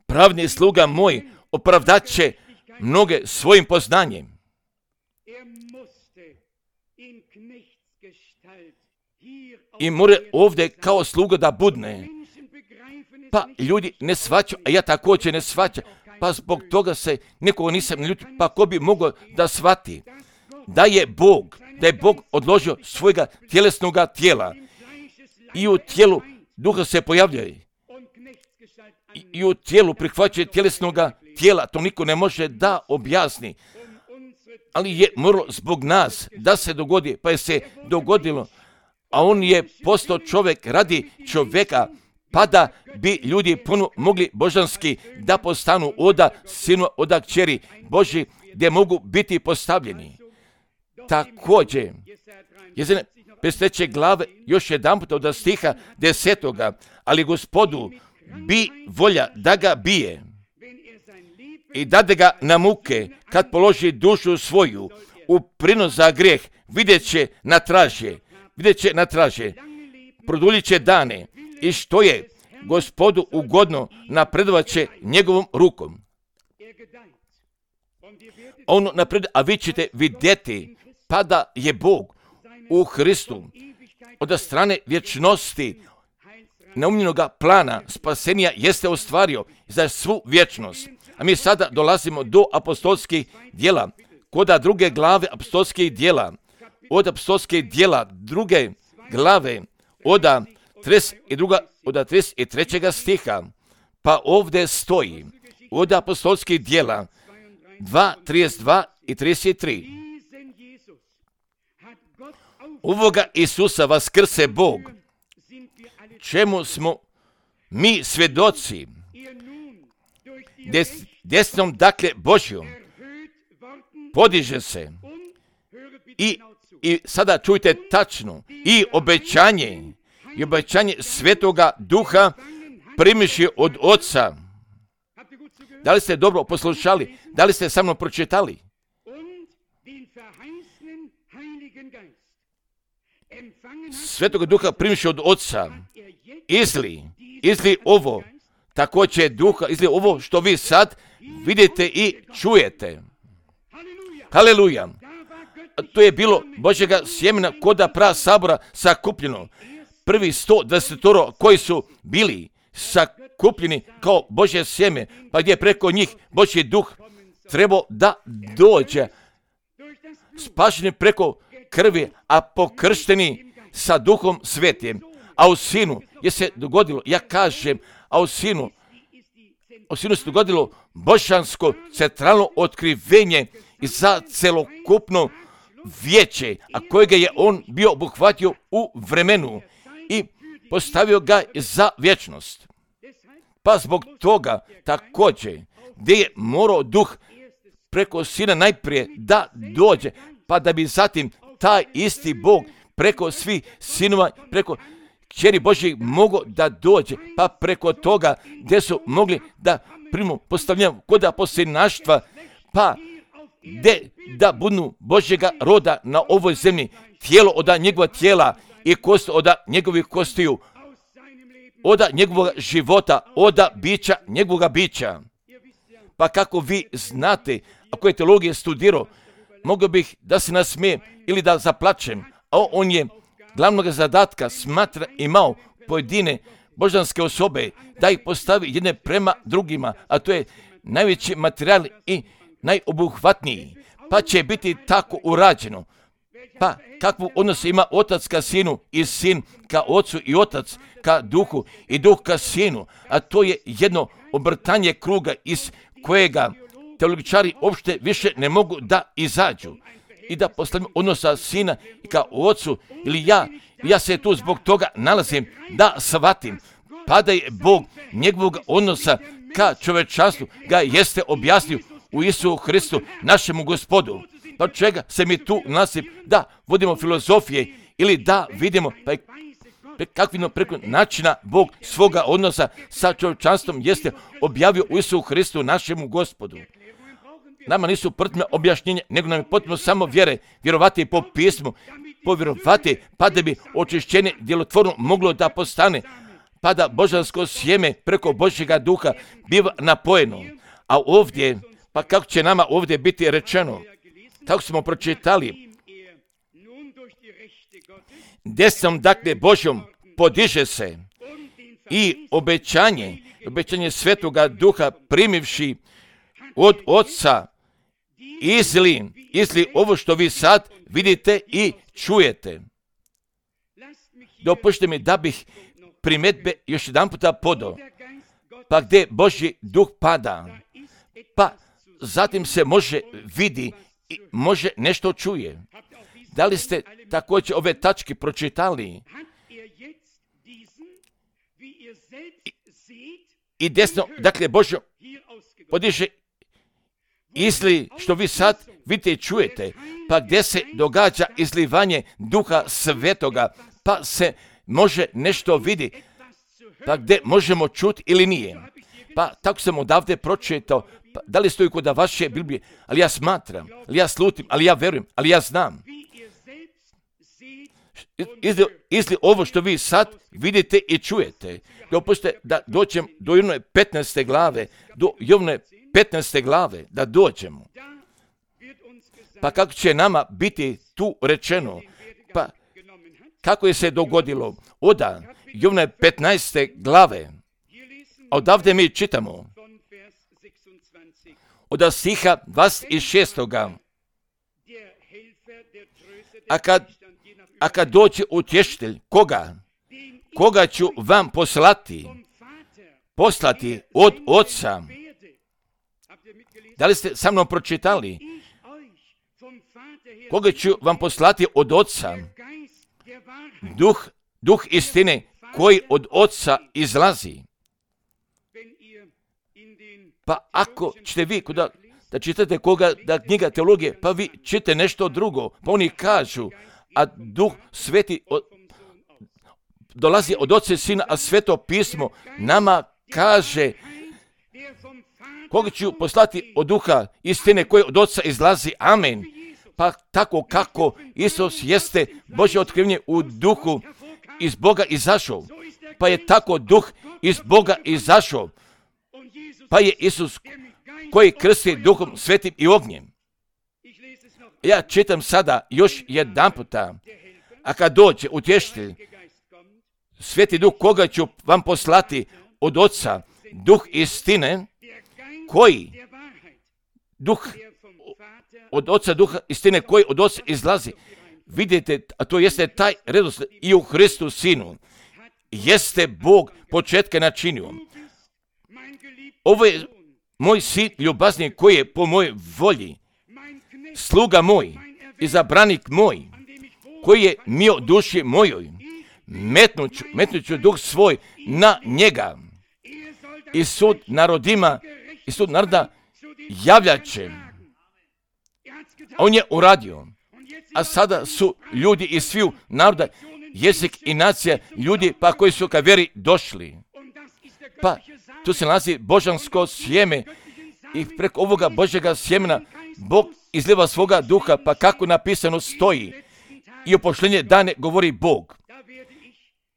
Pravni sluga moj opravdat će mnoge svojim poznanjem. I mora ovdje kao sluga da budne. Pa ljudi ne shvaćaju, a ja također ne shvaćam. Pa zbog toga se nikoga nisam ljutio. Pa ko bi mogao da shvati da je Bog odložio svojega tjelesnoga tijela i u tijelu duha se pojavljuje i u tijelu prihvaćuje tjelesnoga tijela. To niko ne može da objasni. Ali je moralo zbog nas da se dogodi, pa je se dogodilo. A on je postao čovjek radi čovjeka, pa da bi ljudi puno mogli božanski da postanu oda sinu, oda kćeri Božji, gdje mogu biti postavljeni. Također, Jesajne 53. glave, još jedan puta od stiha 10. Ali Gospodu bi volja da ga bije i dade ga na muke, kad položi dušu svoju u prinos za grijeh, vidjet će na traže, produljit će dane i što je Gospodu ugodno napredovat će njegovom rukom. Ono napreduje, a vi ćete vidjeti pa da je Bog u Hristu od strane vječnosti neumljenoga plana spasenja jeste ostvario za svu vječnost. A mi sada dolazimo do apostolskih djela. Kod druge glave apostolskih djela, od apostolskih djela druge glave, od 33. stiha, pa ovdje stoji, od apostolskih djela 2, 32 i 33. Ovoga Isusa vaskrse Bog, čemu smo mi svjedoci, desnom dakle Božjom podiže se i sada čujte tačno i obećanje Svetoga Duha primiši od Oca. Da li ste dobro poslušali? Da li ste sa mnom pročitali? Svetoga Duha primiši od Oca. Izli ovo, također Duha, izli ovo što vi sad vidite i čujete. Haleluja. To je bilo Božjega sjemena koda pra sabora sakupljeno. Prvi 120 koji su bili sakupljeni kao Božje sjeme, pa gdje preko njih Božji Duh trebao da dođe. Spašeni preko krvi, a pokršteni sa Duhom Svetim. A u Sinu je se dogodilo, ja kažem, u Sinu se dogodilo božansko centralno otkrivenje i za celokupno vijeće, a kojega je on bio obuhvatio u vremenu i postavio ga za vječnost. Pa zbog toga također, gdje je morao Duh preko Sina najprije da dođe, pa da bi zatim taj isti Bog preko svih sinova, preko kćeri Božjih mogao da dođe, pa preko toga gdje su mogli da primu postavljeno kod aposlinaštva, pa gdje da budu Božjega roda na ovoj zemlji, tijelo od njegova tijela i kost od njegovih kostiju, od njegovog života, od bića, njegovog bića. Pa kako vi znate, ako je teologija studirao, mogao bih da se nasmijem ili da zaplačem, a on je glavnog zadatka smatra imao pojedine božanske osobe, da ih postavi jedne prema drugima, a to je najveći materijal i najobuhvatniji, pa će biti tako urađeno. Pa kakvu odnos ima otac ka sinu i sin ka ocu i otac ka duhu i duh ka sinu, a to je jedno obrtanje kruga iz kojega teologičari uopšte više ne mogu da izađu i da postavim odnosa sina ka ocu ili ja se tu zbog toga nalazim da shvatim, pa da je Bog njegovog odnosa ka čovečanstvu ga jeste objasnio u Isusu Hristu, našemu Gospodu. Pa čega se mi tu nalazim da vodimo filozofije ili da vidimo kakvim preko načina Bog svoga odnosa sa čovječanstvom jeste objavio u Isusu Hristu, našemu Gospodu. Nama nisu potrebna objašnjenja, nego nam je potrebno samo vjerovati po pismu, povjerovati, pa da bi očišćenje djelotvorno moglo da postane, pa da božansko sjeme preko Božjega duha biva napojeno. A ovdje, pa kako će nama ovdje biti rečeno, tako smo pročitali, desnom dakle Božjom podiže se i obećanje Svetoga Duha primivši od Otca izli ovo što vi sad vidite i čujete. Dopušte mi da bih primjedbe još jedan puta podao. Pa gdje Božji duh pada, pa zatim se može vidi i može nešto čuje. Da li ste također ove tačke pročitali? I desno, dakle, Božjo podiže izli što vi sad vidite i čujete, pa gdje se događa izlivanje Duha Svetoga, pa se može nešto vidi, pa gdje možemo čuti ili nije. Pa tako sam odavde pročitao, pa, da li stoji kod vaše Biblije, ali ja smatram, ali ja slutim, ali ja verujem, ali ja znam. Izli ovo što vi sad vidite i čujete. Dopustite da dođem do Jovnove 15. glave, do Jovnove 15. glave, da dođemo. Pa kako će nama biti tu rečeno, pa kako je se dogodilo? Oda Jovnove 15. glave, a odavde mi čitamo, od stiha 26. A kad dođe utješitelj, koga ću vam poslati od Otca. Da li ste sa mnom pročitali? Koga ću vam poslati od Otca? Duh istine koji od Otca izlazi. Pa ako ćete vi da čitate da knjiga teologije, pa vi čite nešto drugo, pa oni kažu, a Duh Sveti dolazi od Otca i Sina, a Sveto pismo nama kaže koga ću poslati od Duha istine koji od Otca izlazi. Amen. Pa tako kako Isus jeste Božje otkrivenje u duhu iz Boga izašao, pa je tako Duh iz Boga izašao, pa je Isus koji krsti Duhom Svetim i ognjem. Ja čitam sada još jedan puta, a kad dođe utješitelj, Sveti Duh koga ću vam poslati od Otca, Duh istine, koji Duh od Otca, Duha istine koji od Otca izlazi. Vidite, a to jeste taj redoslijed i u Hristu Sinu. Jeste Bog početka načinio. Ovo je moj sin ljubazni koji je po mojoj volji, sluga moj, izabranik moj, koji je mio duši mojoj, metnuću duh svoj na njega. I sud naroda javljat će. On je uradio. A sada su ljudi iz sviju naroda, jezik i nacija, ljudi pa koji su ka vjeri došli. Pa tu se nalazi božansko sjeme i preko ovoga Božjega sjemena Bog izliva svoga duha, pa kako napisano stoji. I o pošljenje dane govori Bog.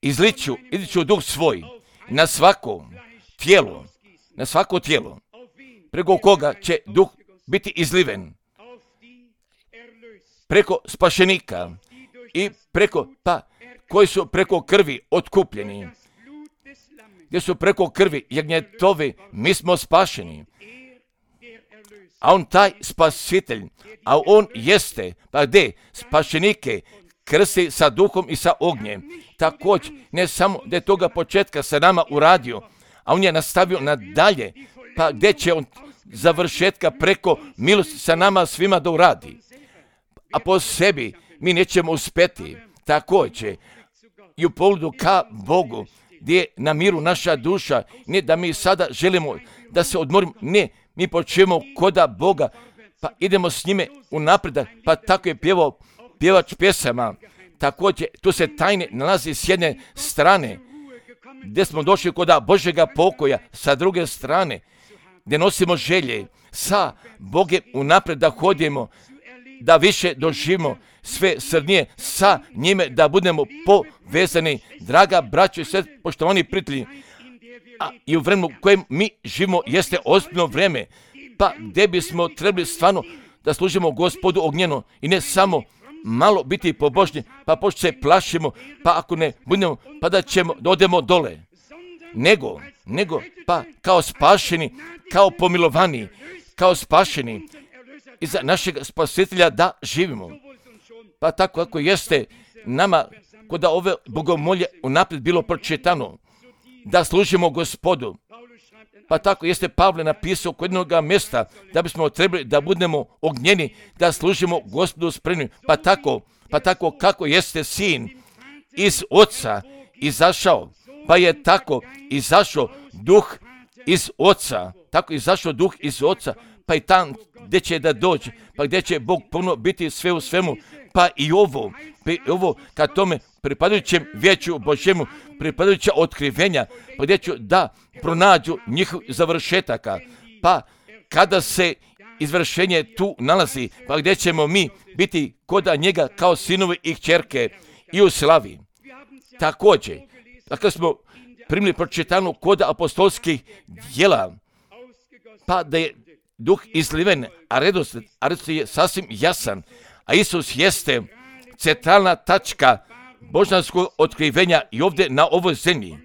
Izliću duh svoj na svako tijelo, preko koga će duh biti izliven. preko spašenika i preko, koji su preko krvi otkupljeni, gdje su preko krvi jagnjetovi, mi smo spašeni. A on taj spasitelj, a on jeste, gdje spašenike krsti sa duhom i sa ognjem. Također, ne samo da je toga početka sa nama uradio, a on je nastavio nadalje, gdje će on završetka preko milosti sa nama svima da uradi. A po sebi mi nećemo uspjeti. Također, i u pogledu ka Bogu, gdje je na miru naša duša, ne da mi sada želimo da se odmorimo, ne, mi počnemo koda Boga, idemo s njime u napredak, tako je pjevao pjevač pjesama. Također, tu se tajne nalazi s jedne strane, gdje smo došli koda Božjega pokoja, sa druge strane, gdje nosimo želje, sa Bogem u napred da hodimo, da više doživimo sve srnije sa njime, da budemo povezani, draga braćo i sve poštovani prijatelji. A i u vremenu u kojem mi živimo jeste ozbiljno vrijeme, gdje bismo trebali stvarno da služimo Gospodu ognjeno i ne samo malo biti pobožni, pošto se plašimo, ako ne budemo, da ćemo, da odemo dole. Nego, kao spašeni, kao pomilovani, kao spašeni iza našeg spasitelja da živimo. Tako ako jeste nama, kod ove bogomolje unaprijed bilo pročitano, da služimo Gospodu. Tako jeste Pavle napisao kod jednog mjesta da bismo trebali da budemo ognjeni, da služimo Gospodu spremni. Tako kako jeste sin iz oca izašao, je tako izašao duh iz oca, tako izašao duh iz oca, i tam gdje će da dođe, gdje će Bog puno biti sve u svemu, i ovo ka tome pripadajućem vijeću Božjemu, pripadajuća otkrivenja, gdje ću da pronađu njihov završetaka, kada se izvršenje tu nalazi, gdje ćemo mi biti koda njega kao sinovi i kćerke i u slavi. Također, dakle smo primili pročitanu koda apostolskih djela, da je duh izliven, a redoslijed je sasvim jasan, a Isus jeste centralna tačka božanskog otkrivenja i ovdje na ovoj zemlji.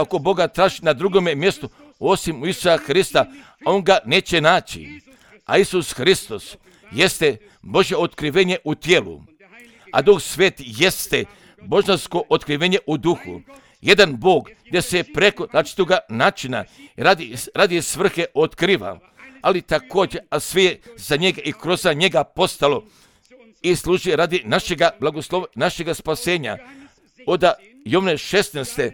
Ko Boga traži na drugome mjestu osim u Isusa Hrista, on ga neće naći. A Isus Hristos jeste Božje otkrivenje u tijelu, a Duh Sveti jeste božansko otkrivenje u duhu. Jedan Bog gdje se preko različitoga načina radi svrhe otkriva, ali također, a sve je za njega i kroz njega postalo i služi radi našega blagoslova, našega spasenja. Od Jovne 16.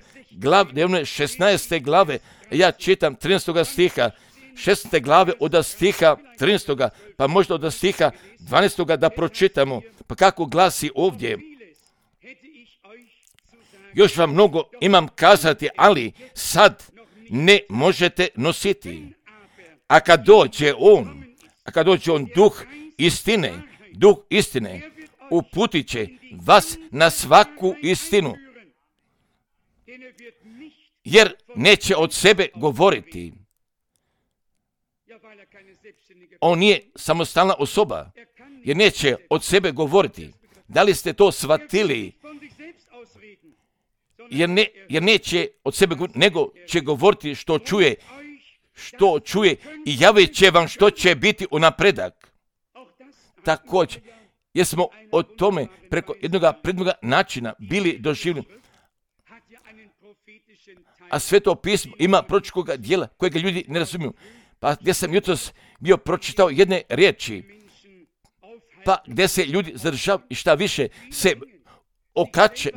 glave, ja čitam 13. stiha, 16. glave od stiha 13. možda od stiha 12. da pročitamo, kako glasi ovdje. Još vam mnogo imam kazati, ali sad ne možete nositi. A kad dođe on duh istine, uputit će vas na svaku istinu. Jer neće od sebe govoriti. On nije samostalna osoba, jer neće od sebe govoriti. Da li ste to shvatili? Jer neće od sebe govoriti, nego će govoriti što čuje i javit će vam što će biti u napredak. Također, jer smo o tome preko jednog prednog načina bili doživljeni. A Sveto pismo ima proročkog dijela kojega ljudi ne razumiju. Gdje sam jutros bio pročitao jedne riječi, gdje se ljudi zadržavaju i šta više se okače,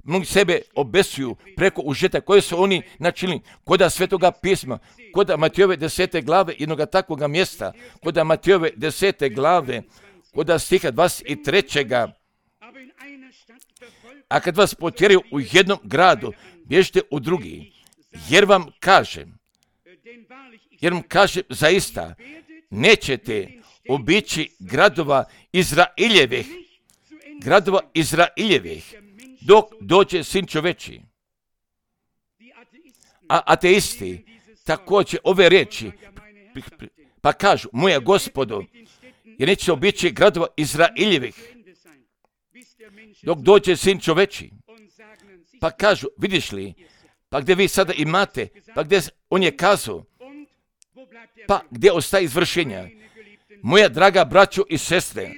mnogi sebe obesuju preko užeta koje su oni načinili koda Svetoga pisma, koda Matejove 10. glave jednoga takvoga mjesta, koda Matejove 10. glave, koda stiha 23. A kad vas potjeraju u jednom gradu, bježite u drugi, jer vam kažem, zaista, nećete obići gradova Izraeljevih, dok dođe Sin čoveči. A ateisti također ove riječi kažu, moja Gospodo, jer neće obići gradova Izraeljevih, dok dođe sin čoveči. Pa kažu, vidiš li, pa gdje vi sada imate, pa gdje on je kazao, pa gdje ostaje izvršenja? Moja draga braćo i sestre,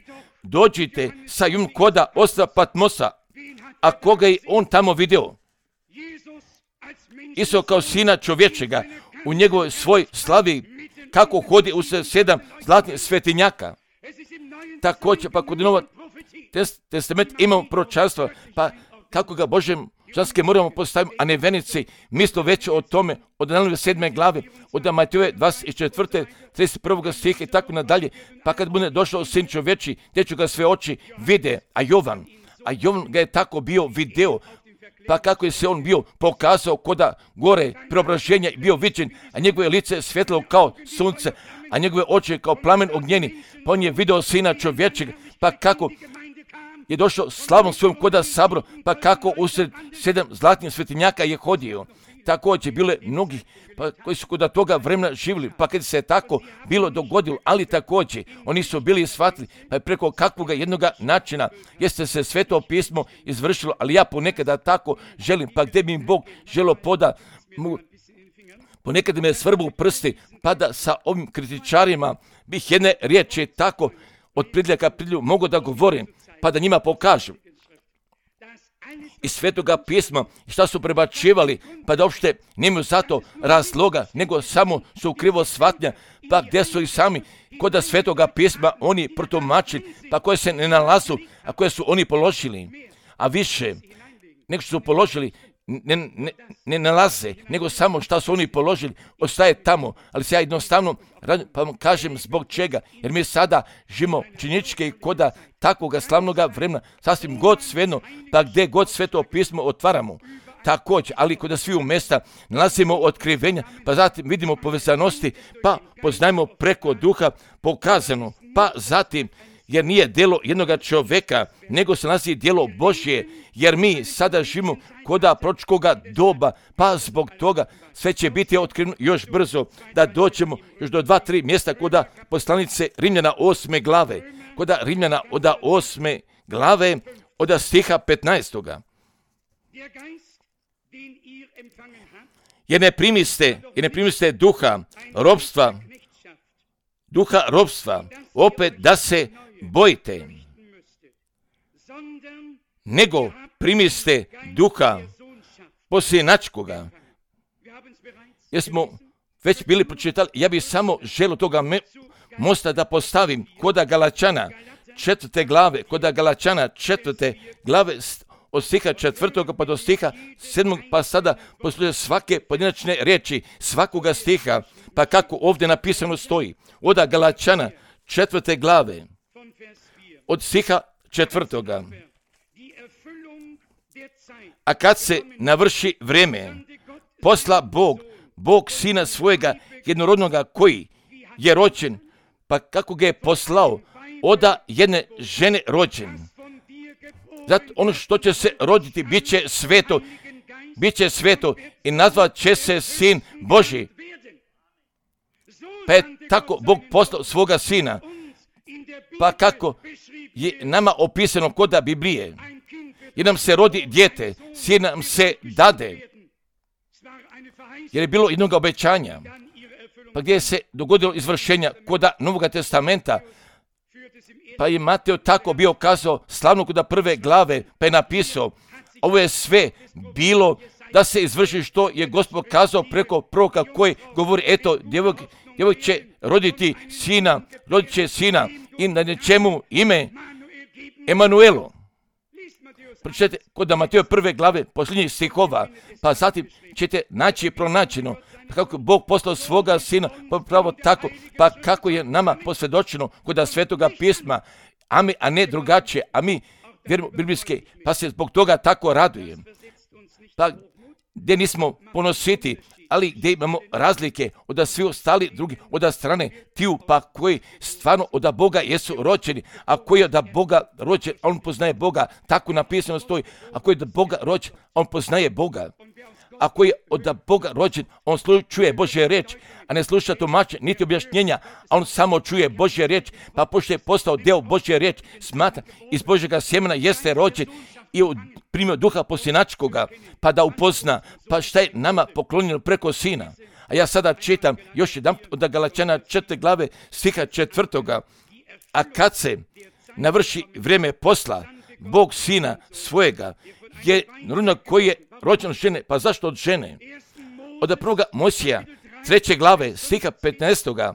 dođite sa jum koda ostrva Patmosa, a koga je on tamo video? Isto kao sina čovječega u njegovoj svoj slavi, kako hodi u 7 zlatnih svetinjaka. Također, pa kod Novog testamenta imamo proročanstvo, pa kako ga Božem žanske moramo postaviti, a ne venici, mislo već o tome, od Danielove 7. glave, od Matejove 24. 31. stiha i tako nadalje, pa kad bude došao sin čovječi, gdje ću ga sve oči vide, a Jovan ga je tako bio video, pa kako je se on bio pokazao koda gore preobraženja bio viđen, a njegove lice svjetlo kao sunce, a njegove oči kao plamen ognjeni, pa on je video sina čovječeg, pa kako je došao slavom svojom koda sabro, pa kako usred 7 zlatnih svetinjaka je hodio. Također bile mnogi pa koji su kod toga vremena živjeli, pa kad se je tako bilo dogodilo, ali također oni su bili shvatili, pa je preko kakvoga jednoga načina jeste se Sveto pismo izvršilo, ali ja ponekada tako želim, pa gdje bi im Bog želio poda, ponekad me svrbu prsti, pa da sa ovim kritičarima bih jedne riječi tako od pridljaka pridlju mogu da govorim, pa da njima pokažem iz Svetoga pisma šta su prebačivali, pa da uopšte nemaju zato razloga, nego samo su krivo shvatnja, pa gdje su i sami kod Svetoga pisma oni protumačili, pa koje se ne nalazu, a koje su oni položili, a više nego što su položili ne nalaze, nego samo šta su oni položili, ostaje tamo, ali se ja jednostavno pa vam kažem zbog čega, jer mi sada živimo činjeničke koda takvoga slavnoga vremena, sasvim god svejedno, pa gdje god Sveto pismo otvaramo, također, ali kod sviju mjesta nalazimo otkrivenja, pa zatim vidimo povezanosti, pa poznajemo preko duha pokazano, pa zatim jer nije djelo jednoga čovjeka, nego se nalazi djelo Božje, jer mi sada živimo koda proročkoga doba, pa zbog toga sve će biti otkriveno još brzo, da dođemo još do 2-3 mjesta koda poslanice Rimljana 8. glave, koda Rimljana od 8. glave, od stiha 15. Jer ne primiste duha robstva, opet da se bojite, nego primiste duha posljenačkoga. Jer smo već bili pročitali, ja bih samo želio toga mosta da postavim koda Galačana 4. glave, koda Galačana 4. glave od stiha 4. pa do stiha 7. pa sada posluže svake pojedinačne riječi, svakoga stiha, pa kako ovdje napisano stoji, od Galačana 4. glave, od stiha 4. A kad se navrši vrijeme, posla Bog sina svojega jednorodnoga koji je rođen, pa kako ga je poslao, oda jedne žene rođen. Zato ono što će se roditi bit će sveto i nazvat će se sin Božji. Pa je tako Bog poslao svoga sina, pa kako je nama opisano koda Biblije, jer nam se rodi dijete, sin nam se dade, jer je bilo jednog obećanja, pa gdje se dogodilo izvršenja koda Novoga testamenta, pa je Mateo tako bio kazao slavno koda 1. glave, pa je napisao, ovo je sve bilo da se izvrši što je Gospod kazao preko proroka koji govori, eto, djevojk će roditi sina i na čemu ime Emanuelo. Pročitajte kod Mateo 1. glave posljednjih stihova, pa zatim ćete naći pronađeno kako Bog poslao svoga sina, pa pravo tako, pa kako je nama posvjedočeno kod Svetoga pisma, a ne drugačije, a mi vjerujemo biblijske, pa se zbog toga tako radujem. Pa gdje nismo ponositi, ali gdje imamo razlike od svi ostali drugi, od strane tiju pa koji stvarno od Boga jesu rođeni, a koji od Boga rođen, on poznaje Boga, tako napisano stoji, a koji od Boga rođen, on poznaje Boga. ako je od Boga rođen, on čuje Božje riječ, a ne sluša tumače, niti objašnjenja, a on samo čuje Božje riječ, pa pošto je postao deo Božje riječ, smatra, iz Božjega sjemena jeste rođen i primio duha posinačkoga, pa da upozna, pa šta je nama poklonjeno preko sina. A ja sada čitam još jedan od Galačana 4. glave stiha 4. A kad se navrši vrijeme posla, Bog sina svojega je rođen koji je rođen od žene. Pa zašto od žene? Od 1. Mojsija 3. glave stiha 15.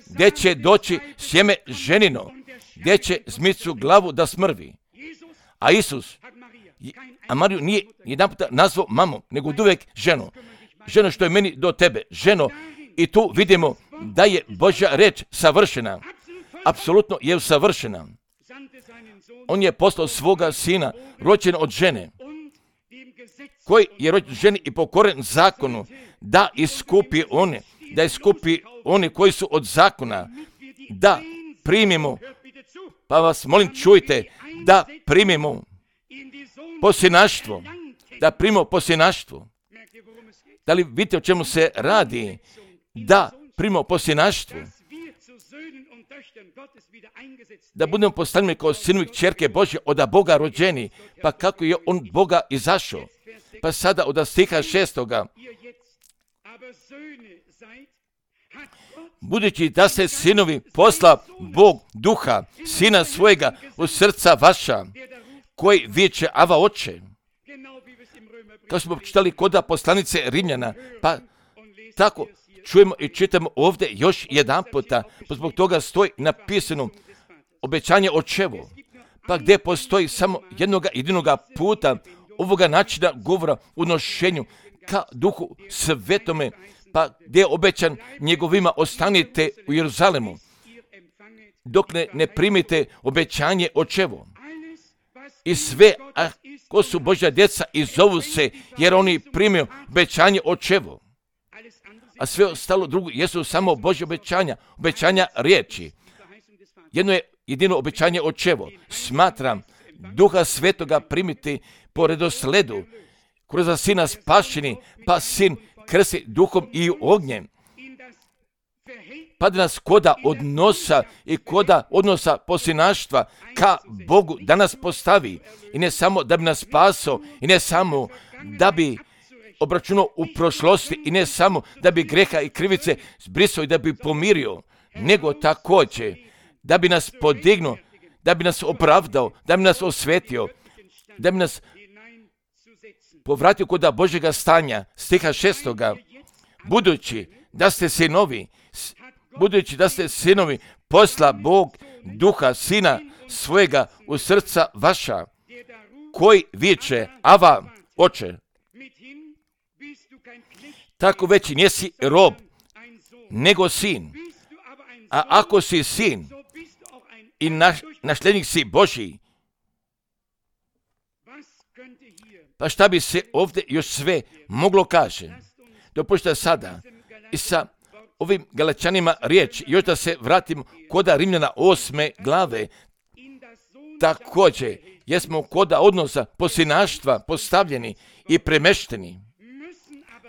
gdje će doći sjeme ženino, gdje će zmicu glavu da smrvi. A Isus, a Mariju nije jedan puta nazvao mamom, nego uvijek ženu. Ženo što je meni do tebe, ženo. I tu vidimo da je Božja reč savršena. Apsolutno je savršena. On je poslao svoga sina, rođen od žene, koji je rođen ženi i pokoren zakonu, da iskupi one koji su od zakona, da primimo, pa vas molim čujte, da primimo posinaštvo, da primimo posinaštvo. Da li vidite o čemu se radi? Da primimo posinaštvo. Da budemo postavljeni kao sinovi kćerke Božje od Boga rođeni. Pa kako je on Boga izašao? Pa sada od stiha 6. Budući da ste sinovi, posla Bog duha, sina svojega u srca vaša, koji viče Ava oče. Kao smo čitali kod poslanice Rimljana, pa tako čujemo i čitamo ovdje još jedan puta, pa zbog toga stoji napisano obećanje očevo, pa gdje postoji samo jedinoga puta ovoga načina govora u nošenju ka duhu svetome, pa gdje je obećan njegovima ostanite u Jeruzalemu, dok ne primite obećanje očevo. I sve, ko su Božja djeca i zovu se, jer oni primaju obećanje očevo. A sve ostalo drugo jesu samo Božje obećanja riječi. Jedno je jedino obećanje očevo. Smatram duha svetoga primiti po redosledu, kroz sina spašeni, pa sin krsti duhom i ognjem. Pa da nas koda odnosa i koda odnosa posinaštva ka Bogu da nas postavi. I ne samo da bi nas spasao, i ne samo da bi obračunao u prošlosti, i ne samo da bi greha i krivice zbrisao i da bi pomirio, nego također da bi nas podignuo, da bi nas opravdao, da bi nas osvetio, da bi nas povratio kod Božjega stanja. Stiha 6. Budući da ste sinovi, posla Bog duha sina svojega u srca vaša, koji viče Ava oče. Tako već nisi rob, nego sin. A ako si sin i nasljednik si Božji, pa šta bi se ovdje još sve moglo kaže? Dopušte sada i sa ovim Galačanima riječ, još da se vratimo koda Rimljana 8. glave, također jesmo koda odnosa posinaštva postavljeni i premešteni.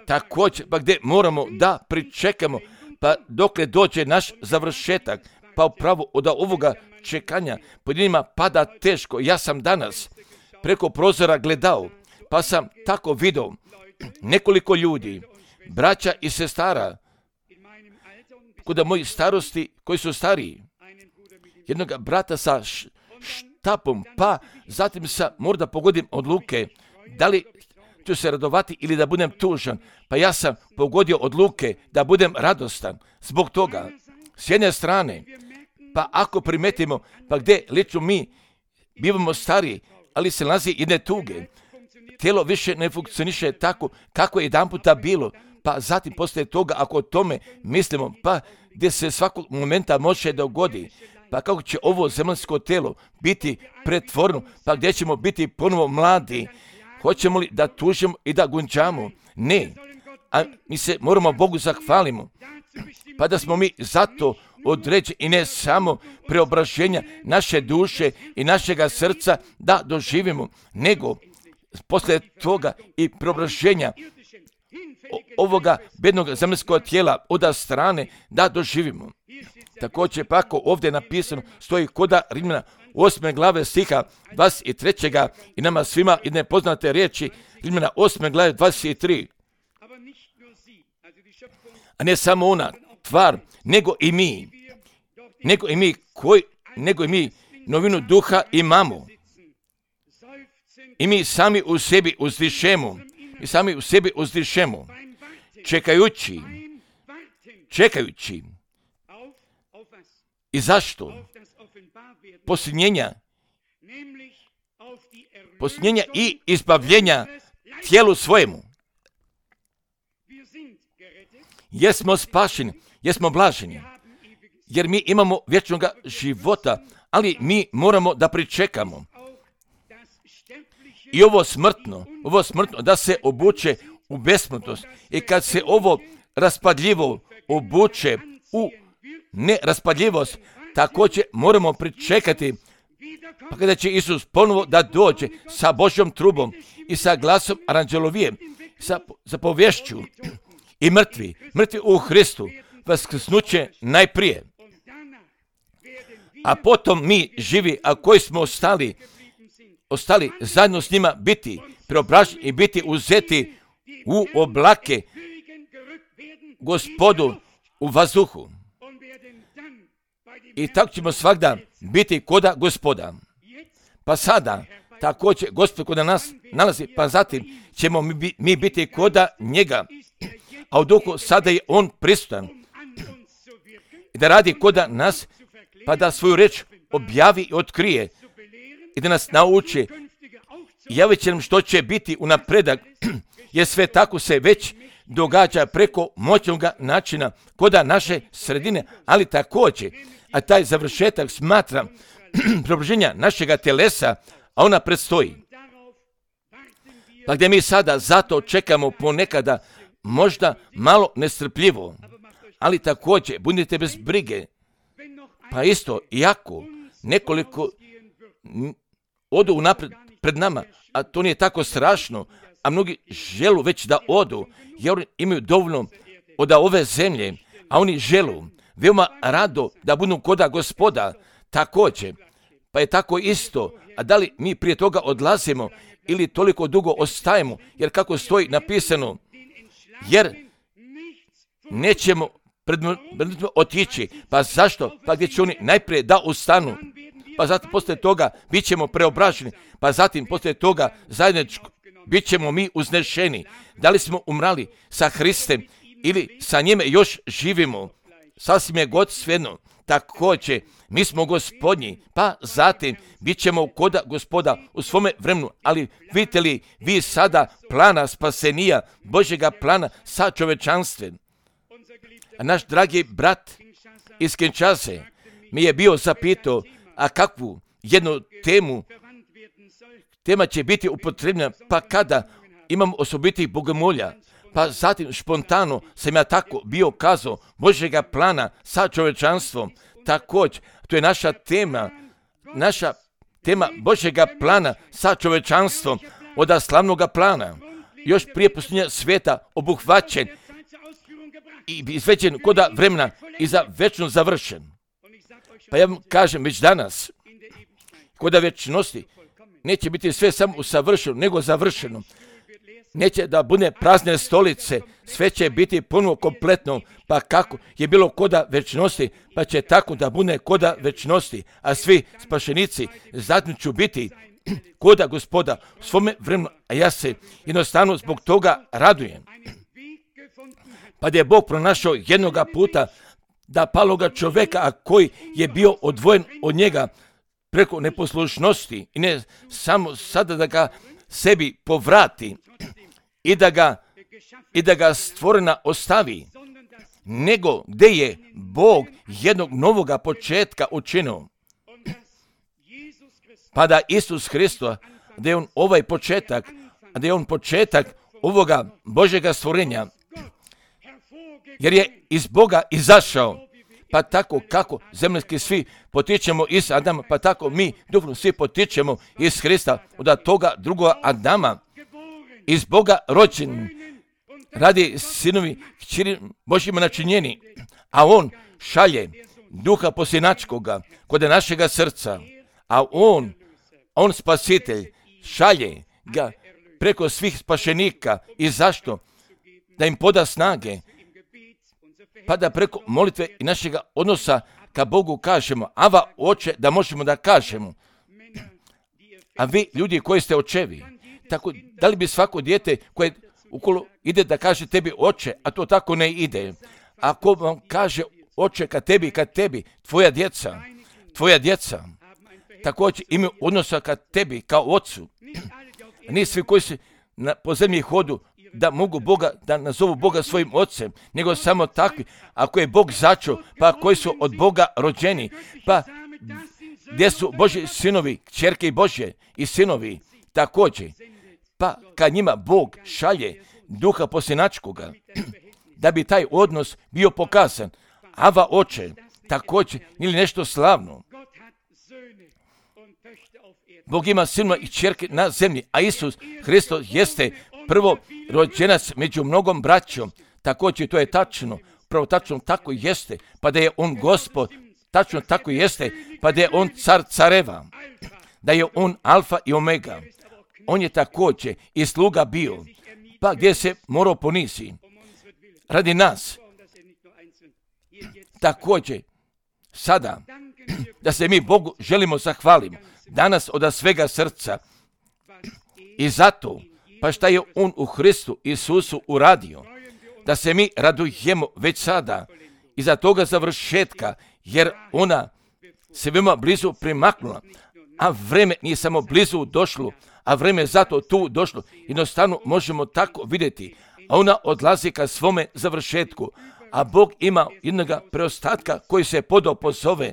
Također, pa gdje moramo da pričekamo, pa dokle dođe naš završetak, pa upravo od ovoga čekanja pojedinima pada teško. Ja sam danas preko prozora gledao, pa sam tako vidio nekoliko ljudi, braća i sestara, kod mojih starosti koji su stariji, jednog brata sa štapom, pa zatim možda pogodim odluke, da li ću se radovati ili da budem tužan, pa ja sam pogodio odluke da budem radostan. Zbog toga, s jedne strane, pa ako primetimo, pa gdje lično mi bivamo stariji, ali se nalazi jedne tuge, tijelo više ne funkcioniše tako kako je jedan puta bilo, pa zatim poslije toga, ako o tome mislimo, pa gdje se svakog momenta može dogodi, pa kako će ovo zemaljsko tijelo biti pretvoreno, pa gdje ćemo biti ponovo mladi, hoćemo li da tužimo i da gunđamo? Ne, a mi se moramo Bogu zahvalimo, pa da smo mi zato određeni i ne samo preobraženja naše duše i našega srca da doživimo, nego poslije toga i preobraženja ovoga bednog zemaljskog tijela od strane da doživimo. Također pako ovdje napisano stoji koda Rimljana 8. glave stiha 23. i nama svima jedne poznate riječi Rimljana 8. glave 23. A ne samo ona tvar, nego i mi novinu duha imamo. I mi sami u sebi uzdišemo, čekajući. I zašto? Posljednjenja i izbavljenja tijelu svojemu. Jesmo spašeni, jesmo blaženi, jer mi imamo vječnog života, ali mi moramo da pričekamo. I ovo smrtno da se obuče u besmrtnost. I kad se ovo raspadljivo obuče u neraspadljivost, također moramo pričekati pa kada će Isus ponovo da dođe sa Božjom trubom i sa glasom aranđelovije, sa zapovješću i mrtvi u Hristu, vaskrsnuće najprije. A potom mi živi, a koji smo ostali zajedno s njima biti preobraženi i biti uzeti u oblake Gospodu u vazduhu. I tako ćemo svagda biti koda Gospoda. Pa sada, također Gospod koda nas nalazi, pa zatim ćemo mi biti koda njega. A u duhu sada je on prisutan. I da radi koda nas, pa da svoju reč objavi i otkrije. I da nas nauči. Javit će nam što će biti u napredak, jer sve tako se već događa preko moćnog načina koda naše sredine, ali također, a taj završetak smatra preobraženja našega telesa, a ona predstoji. Pa gdje mi sada zato čekamo ponekada možda malo nestrpljivo, ali također budite bez brige. Pa isto, iako nekoliko odu unapred pred nama, a to nije tako strašno, a mnogi želu već da odu, jer oni imaju dovoljno od ove zemlje, a oni želu veoma rado da budu koda Gospoda, također. Pa je tako isto, a da li mi prije toga odlazimo ili toliko dugo ostajemo, jer kako stoji napisano, jer nećemo otići. Pa zašto? Pa gdje će oni najprije da ustanu, pa zatim poslije toga bit ćemo preobraženi, pa zatim poslije toga zajedničko bit ćemo mi uznešeni. Da li smo umrali sa Hristem ili sa njime još živimo, sasvim je god svejedno. Također, mi smo Gospodnji, pa zatim bit ćemo koda Gospoda u svome vremenu. Ali vidite li vi sada plana spasenija, Božjega plana sa čovečanstvom? A naš dragi brat iz Kinshase mi je bio zapitao, a kakvu jednu tema će biti upotrebna, pa kada imam osobitih bogomolja. Pa zatim špontano sam ja tako bio kazao Božjega plana sa čovečanstvom. Također, to je naša tema Božjega plana sa čovečanstvom od slavnoga plana. Još prije posljednja sveta obuhvaćen i izveđen koda vremena i za večno završen. Pa ja vam kažem već danas, koda večnosti neće biti sve samo usavršeno, nego završeno. Neće da bude prazne stolice, sve će biti ponovo kompletno, pa kako je bilo koda večnosti, pa će tako da bude koda večnosti, a svi spašenici zatim ću biti koda Gospoda u svome vremenu, a ja se jednostavno zbog toga radujem. Pa da je Bog pronašao jednoga puta da paloga čovjeka, a koji je bio odvojen od njega preko neposlušnosti i ne samo sada da ga sebi povrati i da ga stvorena ostavi, nego gdje je Bog jednog novoga početka učinio. Pa da Isus Hristos, da je on ovaj početak, da je on početak ovoga Božjega stvorenja, jer je iz Boga izašao. Pa tako kako zemaljski svi potičemo iz Adama, pa tako mi duhovno svi potičemo iz Hrista, od toga drugoga Adama, iz Boga rođen radi sinovi kćeri Božjima načinjeni, a on šalje duha posljednačkoga kod našega srca, a on spasitelj šalje ga preko svih spašenika. I zašto? Da im poda snage, pa da preko molitve i našega odnosa ka Bogu kažemo, Ava oče, da možemo da kažemo. A vi, ljudi koji ste očevi, tako, da li bi svako dijete koje ukolo ide da kaže tebi oče, a to tako ne ide. Ako vam kaže oče ka tebi, tvoja djeca, također imaju odnosa ka tebi, kao ocu. Nije svi koji se po zemlji hodu da mogu Boga, da nazovu Boga svojim ocem, nego samo takvi, ako je Bog začeo, pa koji su od Boga rođeni, pa gdje su Božji sinovi, kćerke i Božje i sinovi, također, pa kad njima Bog šalje duha posljednačkoga, da bi taj odnos bio pokazan. Ava oče, također, ili nešto slavno. Bog ima sinova i kćerke na zemlji, a Isus Hristos jeste prvo rođenac među mnogom braćom. Također to je tačno, pravo tačno tako jeste, pa da je on Gospod, tačno tako jeste, pa da je on car careva, da je on alfa i omega. On je također i sluga bio, pa gdje se morao ponisi radi nas. Također, sada, da se mi Bogu želimo zahvalimo, danas od svega srca. I zato, pa šta je on u Hristu Isusu uradio, da se mi radujemo već sada iza toga završetka, jer ona se veoma blizu primaknula, a vreme nije samo blizu došlo, a vreme je zato tu došlo. Jednostavno možemo tako vidjeti, a ona odlazi ka svome završetku, a Bog ima jednoga preostatka koji se podao pozove,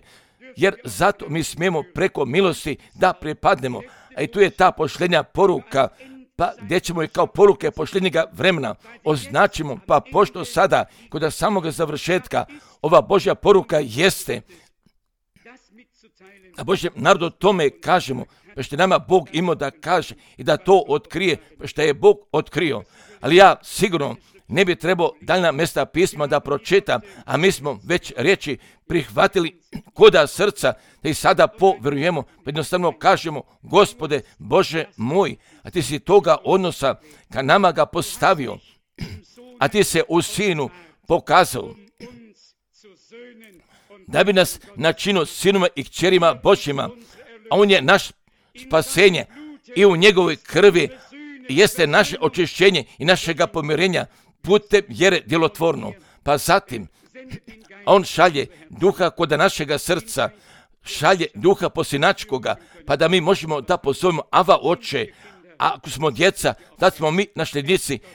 jer zato mi smijemo preko milosti da pripadnemo. A i tu je ta pošljenja poruka, pa gdje ćemo je kao poruke pošljenjega vremena označimo, pa pošto sada kod samoga završetka ova Božja poruka jeste, a Božjem narodu tome kažemo, pa što nama Bog imao da kaže i da to otkrije, pa što je Bog otkrio. Ali ja sigurno ne bi trebao daljna mjesta pisma da pročitam, a mi smo već riječi prihvatili koda srca, da i sada povjerujemo, pa jednostavno kažemo, Gospode Bože moj, a ti si toga odnosa ka nama ga postavio, a ti se u Sinu pokazao, da bi nas načinio sinoma i kćerima Božjima, a on je naš spasenje i u njegovoj krvi jeste naše očišćenje i našega pomirenja putem vjere djelotvorno. Pa zatim, on šalje duha kod našega srca, šalje duha posljednačkoga, pa da mi možemo da pozovemo Ava oče, a ako smo djeca, da smo mi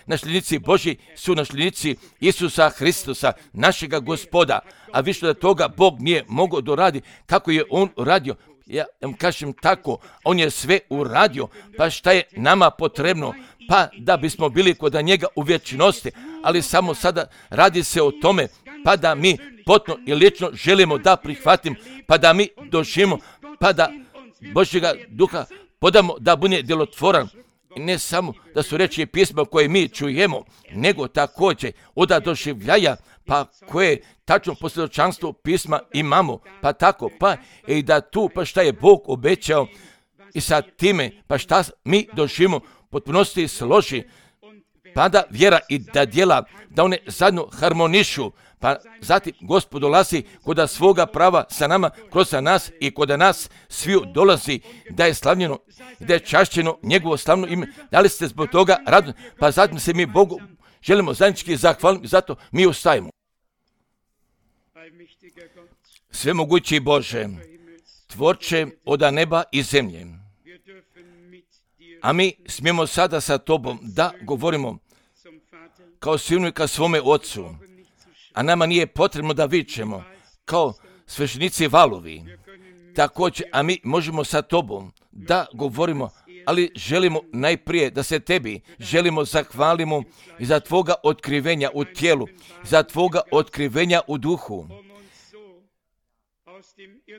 nasljednici Božji su nasljednici Isusa Hristusa, našega Gospoda, a više od toga Bog nije mogao doradi kako je on uradio. Ja vam kažem tako, on je sve uradio, pa šta je nama potrebno? Pa da bismo bili kod njega u vječnosti, ali samo sada radi se o tome, pa da mi potpuno i lično želimo da prihvatimo, pa da mi doživimo, pa da Božjega duha podamo da bude djelotvoran. I ne samo da su riječi pisma koje mi čujemo, nego također od doživljaja, pa koje tačno posvjedočanstvo pisma imamo, pa tako, pa i da tu, pa šta je Bog obećao i sa time, pa šta mi doživimo, potpunosti složi, pa da vjera i da djela, da one zajedno harmonišu, pa zatim Gospod dolazi kod svoga prava sa nama, kroz nas i kod nas sviju dolazi, da je slavljeno, da je čašćeno njegovo slavno ime. Da li ste zbog toga radni? Pa zatim se mi Bogu želimo zajednički zahvaliti, zato mi ustajemo. Svemogući Bože, tvorče od neba i zemlje, a mi smijemo sada sa Tobom da govorimo kao sinu i ka svome Otcu, a nama nije potrebno da vičemo kao sveštenici valovi. Također, a mi možemo sa Tobom da govorimo, ali želimo najprije da se Tebi želimo zahvalimo i za Tvoga otkrivenja u tijelu, za Tvoga otkrivenja u duhu,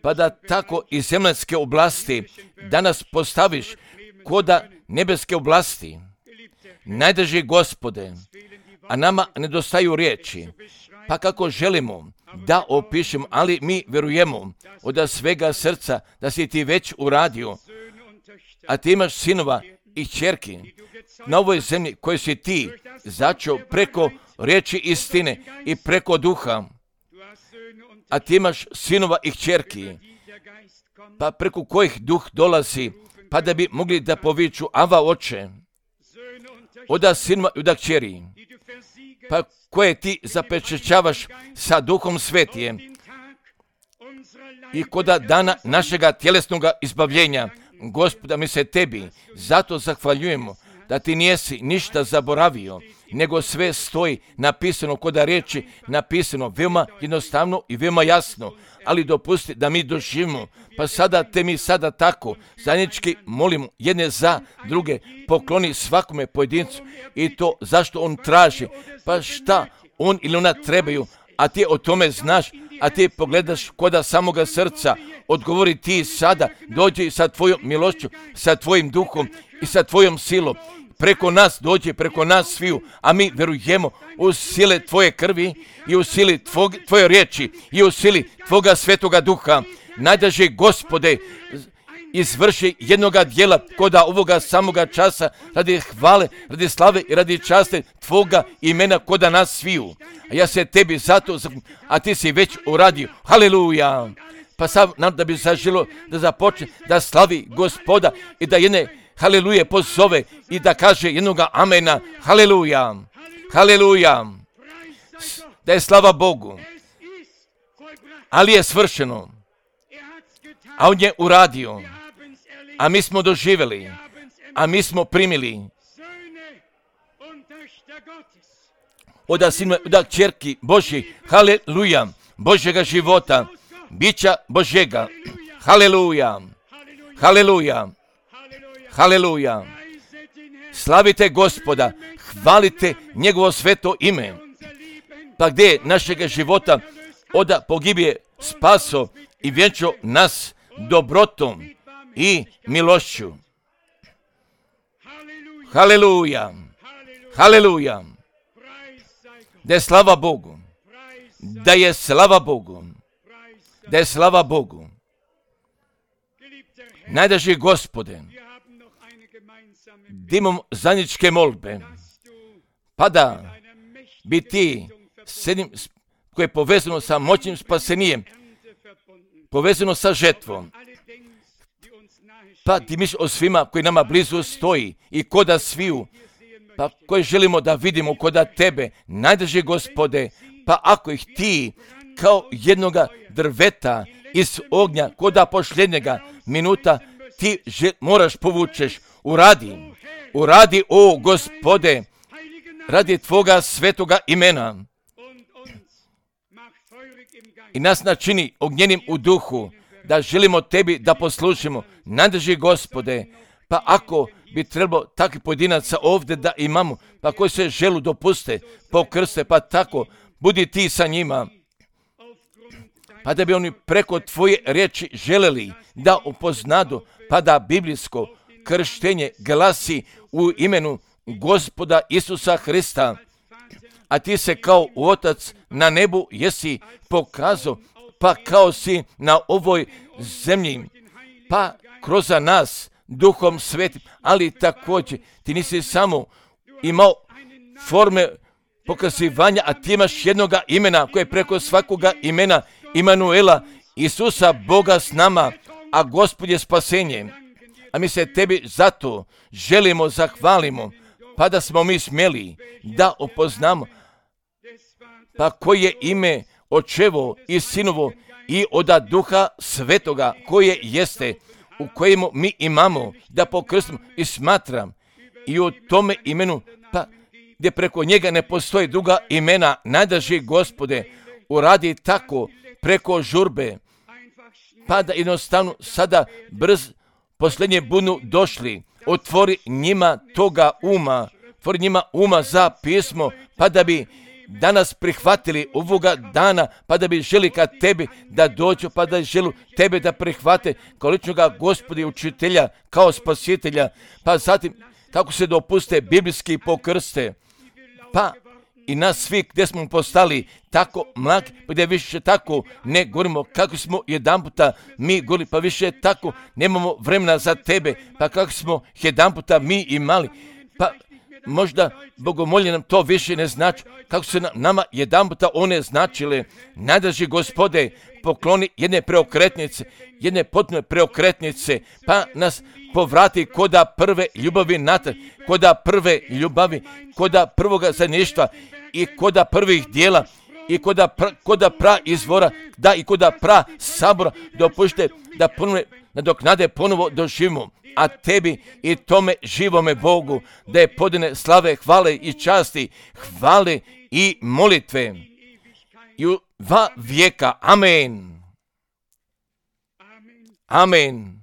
pa da tako iz zemaljske oblasti danas postaviš koda nebeske oblasti. Najdraži Gospode, a nama nedostaju riječi. Pa kako želimo da opišemo, ali mi vjerujemo od svega srca da si ti već uradio, a ti imaš sinova i kćerki na ovoj zemlji koje si ti začeo preko riječi istine i preko duha, a ti imaš sinova i kćerki, pa preko kojih duh dolazi, pa da bi mogli da poviču Ava Oče, oda sinova i oda kćeri, pa koje ti zapečećavaš sa Duhom Svetijem i koda dana našega tjelesnoga izbavljenja. Gospoda, mi se tebi zato zahvaljujemo da ti nijesi ništa zaboravio, nego sve stoji napisano koda riječi, napisano veoma jednostavno i veoma jasno, ali dopusti da mi doživimo, pa sada te mi sada tako zajednički molimo jedne za druge, pokloni svakome pojedincu i to zašto on traži, pa šta on ili ona trebaju, a ti o tome znaš, a ti pogledaš koda samoga srca, odgovori ti sada, dođi sa tvojom milošću, sa tvojim duhom i sa tvojom silom, preko nas dođe, preko nas sviju, a mi vjerujemo u sile tvoje krvi i u sili tvoje riječi i u sili tvoga svetoga duha. Najdraži Gospode, izvrši jednoga dijela koda ovoga samoga časa radi hvale, radi slave i radi časti tvoga imena koda nas sviju. A ja se tebi zato, a ti si već uradio. Haleluja! Pa sad nam da bi zaželo da započne da slavi Gospoda i da jedne haleluje pozove i da kaže jednoga amena. Haleluja! Haleluja! Da je slava Bogu. Ali je svršeno. A on je uradio. A mi smo doživjeli. A mi smo primili. Oda sinova, oda kćerki Božji. Haleluja! Božjega života. Bića Božjega. Haleluja! Haleluja! Haleluja! Slavite Gospoda, hvalite njegovo sveto ime. Pa gdje je našega života oda pogibije spaso i vjenčo nas dobrotom i milošću. Haleluja! Haleluja! Da je slava Bogu. Da je slava Bogu. Da je slava Bogu. Najdraži Gospode, da imamo zajedničke molbe, pa da bi ti s jednim koje je povezano sa moćnim spasenijem, povezano sa žetvom, pa ti misliš o svima koji nama blizu stoji i koda sviju, pa koje želimo da vidimo koda tebe, najdraži Gospode, pa ako ih ti kao jednoga drveta iz ognja koda posljednjega minuta ti moraš povučeš, uradi o Gospode, radi tvoga svetoga imena i nas načini ognjenim u duhu, da želimo tebi da poslušimo. Najdraži Gospode, pa ako bi trebalo takvih pojedinaca ovdje da imamo, pa koji se želu dopuste, pokrste, pa tako, budi ti sa njima, pa da bi oni preko tvoje riječi želeli da upoznadu, pa da biblijsko krštenje glasi u imenu Gospoda Isusa Hrista, a ti se kao Otac na nebu jesi pokazao, pa kao si na ovoj zemlji, pa kroz nas Duhom Svetim, ali također ti nisi samo imao forme pokazivanja, a ti imaš jednoga imena koje je preko svakoga imena Imanuela, Isusa, Boga s nama, a Gospod je spasenje. A mi se tebi zato želimo, zahvalimo, pa da smo mi smjeli da upoznamo, pa koje je ime Očevo i Sinovo i oda Duha Svetoga koje jeste, u kojemu mi imamo da pokrstimo i smatram i u tome imenu, pa gdje preko njega ne postoji druga imena, najdraži Gospode, uradi tako preko žurbe, pa da jednostavno sada brz posljednje budu došli, otvori njima toga uma, otvori njima uma za pismo, pa da bi danas prihvatili ovoga dana, pa da bi želi ka tebi da dođu, pa da želu tebe da prihvate kao ličnoga Gospoda i učitelja, kao spasitelja, pa zatim kako se dopuste biblijski pokrste, pa i nas svi gdje smo postali tako mlaki, pa gdje više tako ne govorimo kako smo jedanputa mi govorili, pa više tako nemamo vremena za tebe, pa kako smo jedanputa mi imali, pa možda bogomolje nam to više ne znači, kako se nama jedanputa one značile. Najdraži Gospode, pokloni jedne preokretnice, jedne potpune preokretnice, pa nas povrati koda prve ljubavi natrag, koda prve ljubavi, koda prvoga zajedništva i koda prvih dijela i koda pra izvora, da i koda pra sabora, dopušte da ponovno nadoknade ponovo doživimo, a tebi i tome živome Bogu da je podane slave, hvale i časti, hvale i molitve i u 2 vijeka. Amen. Amen.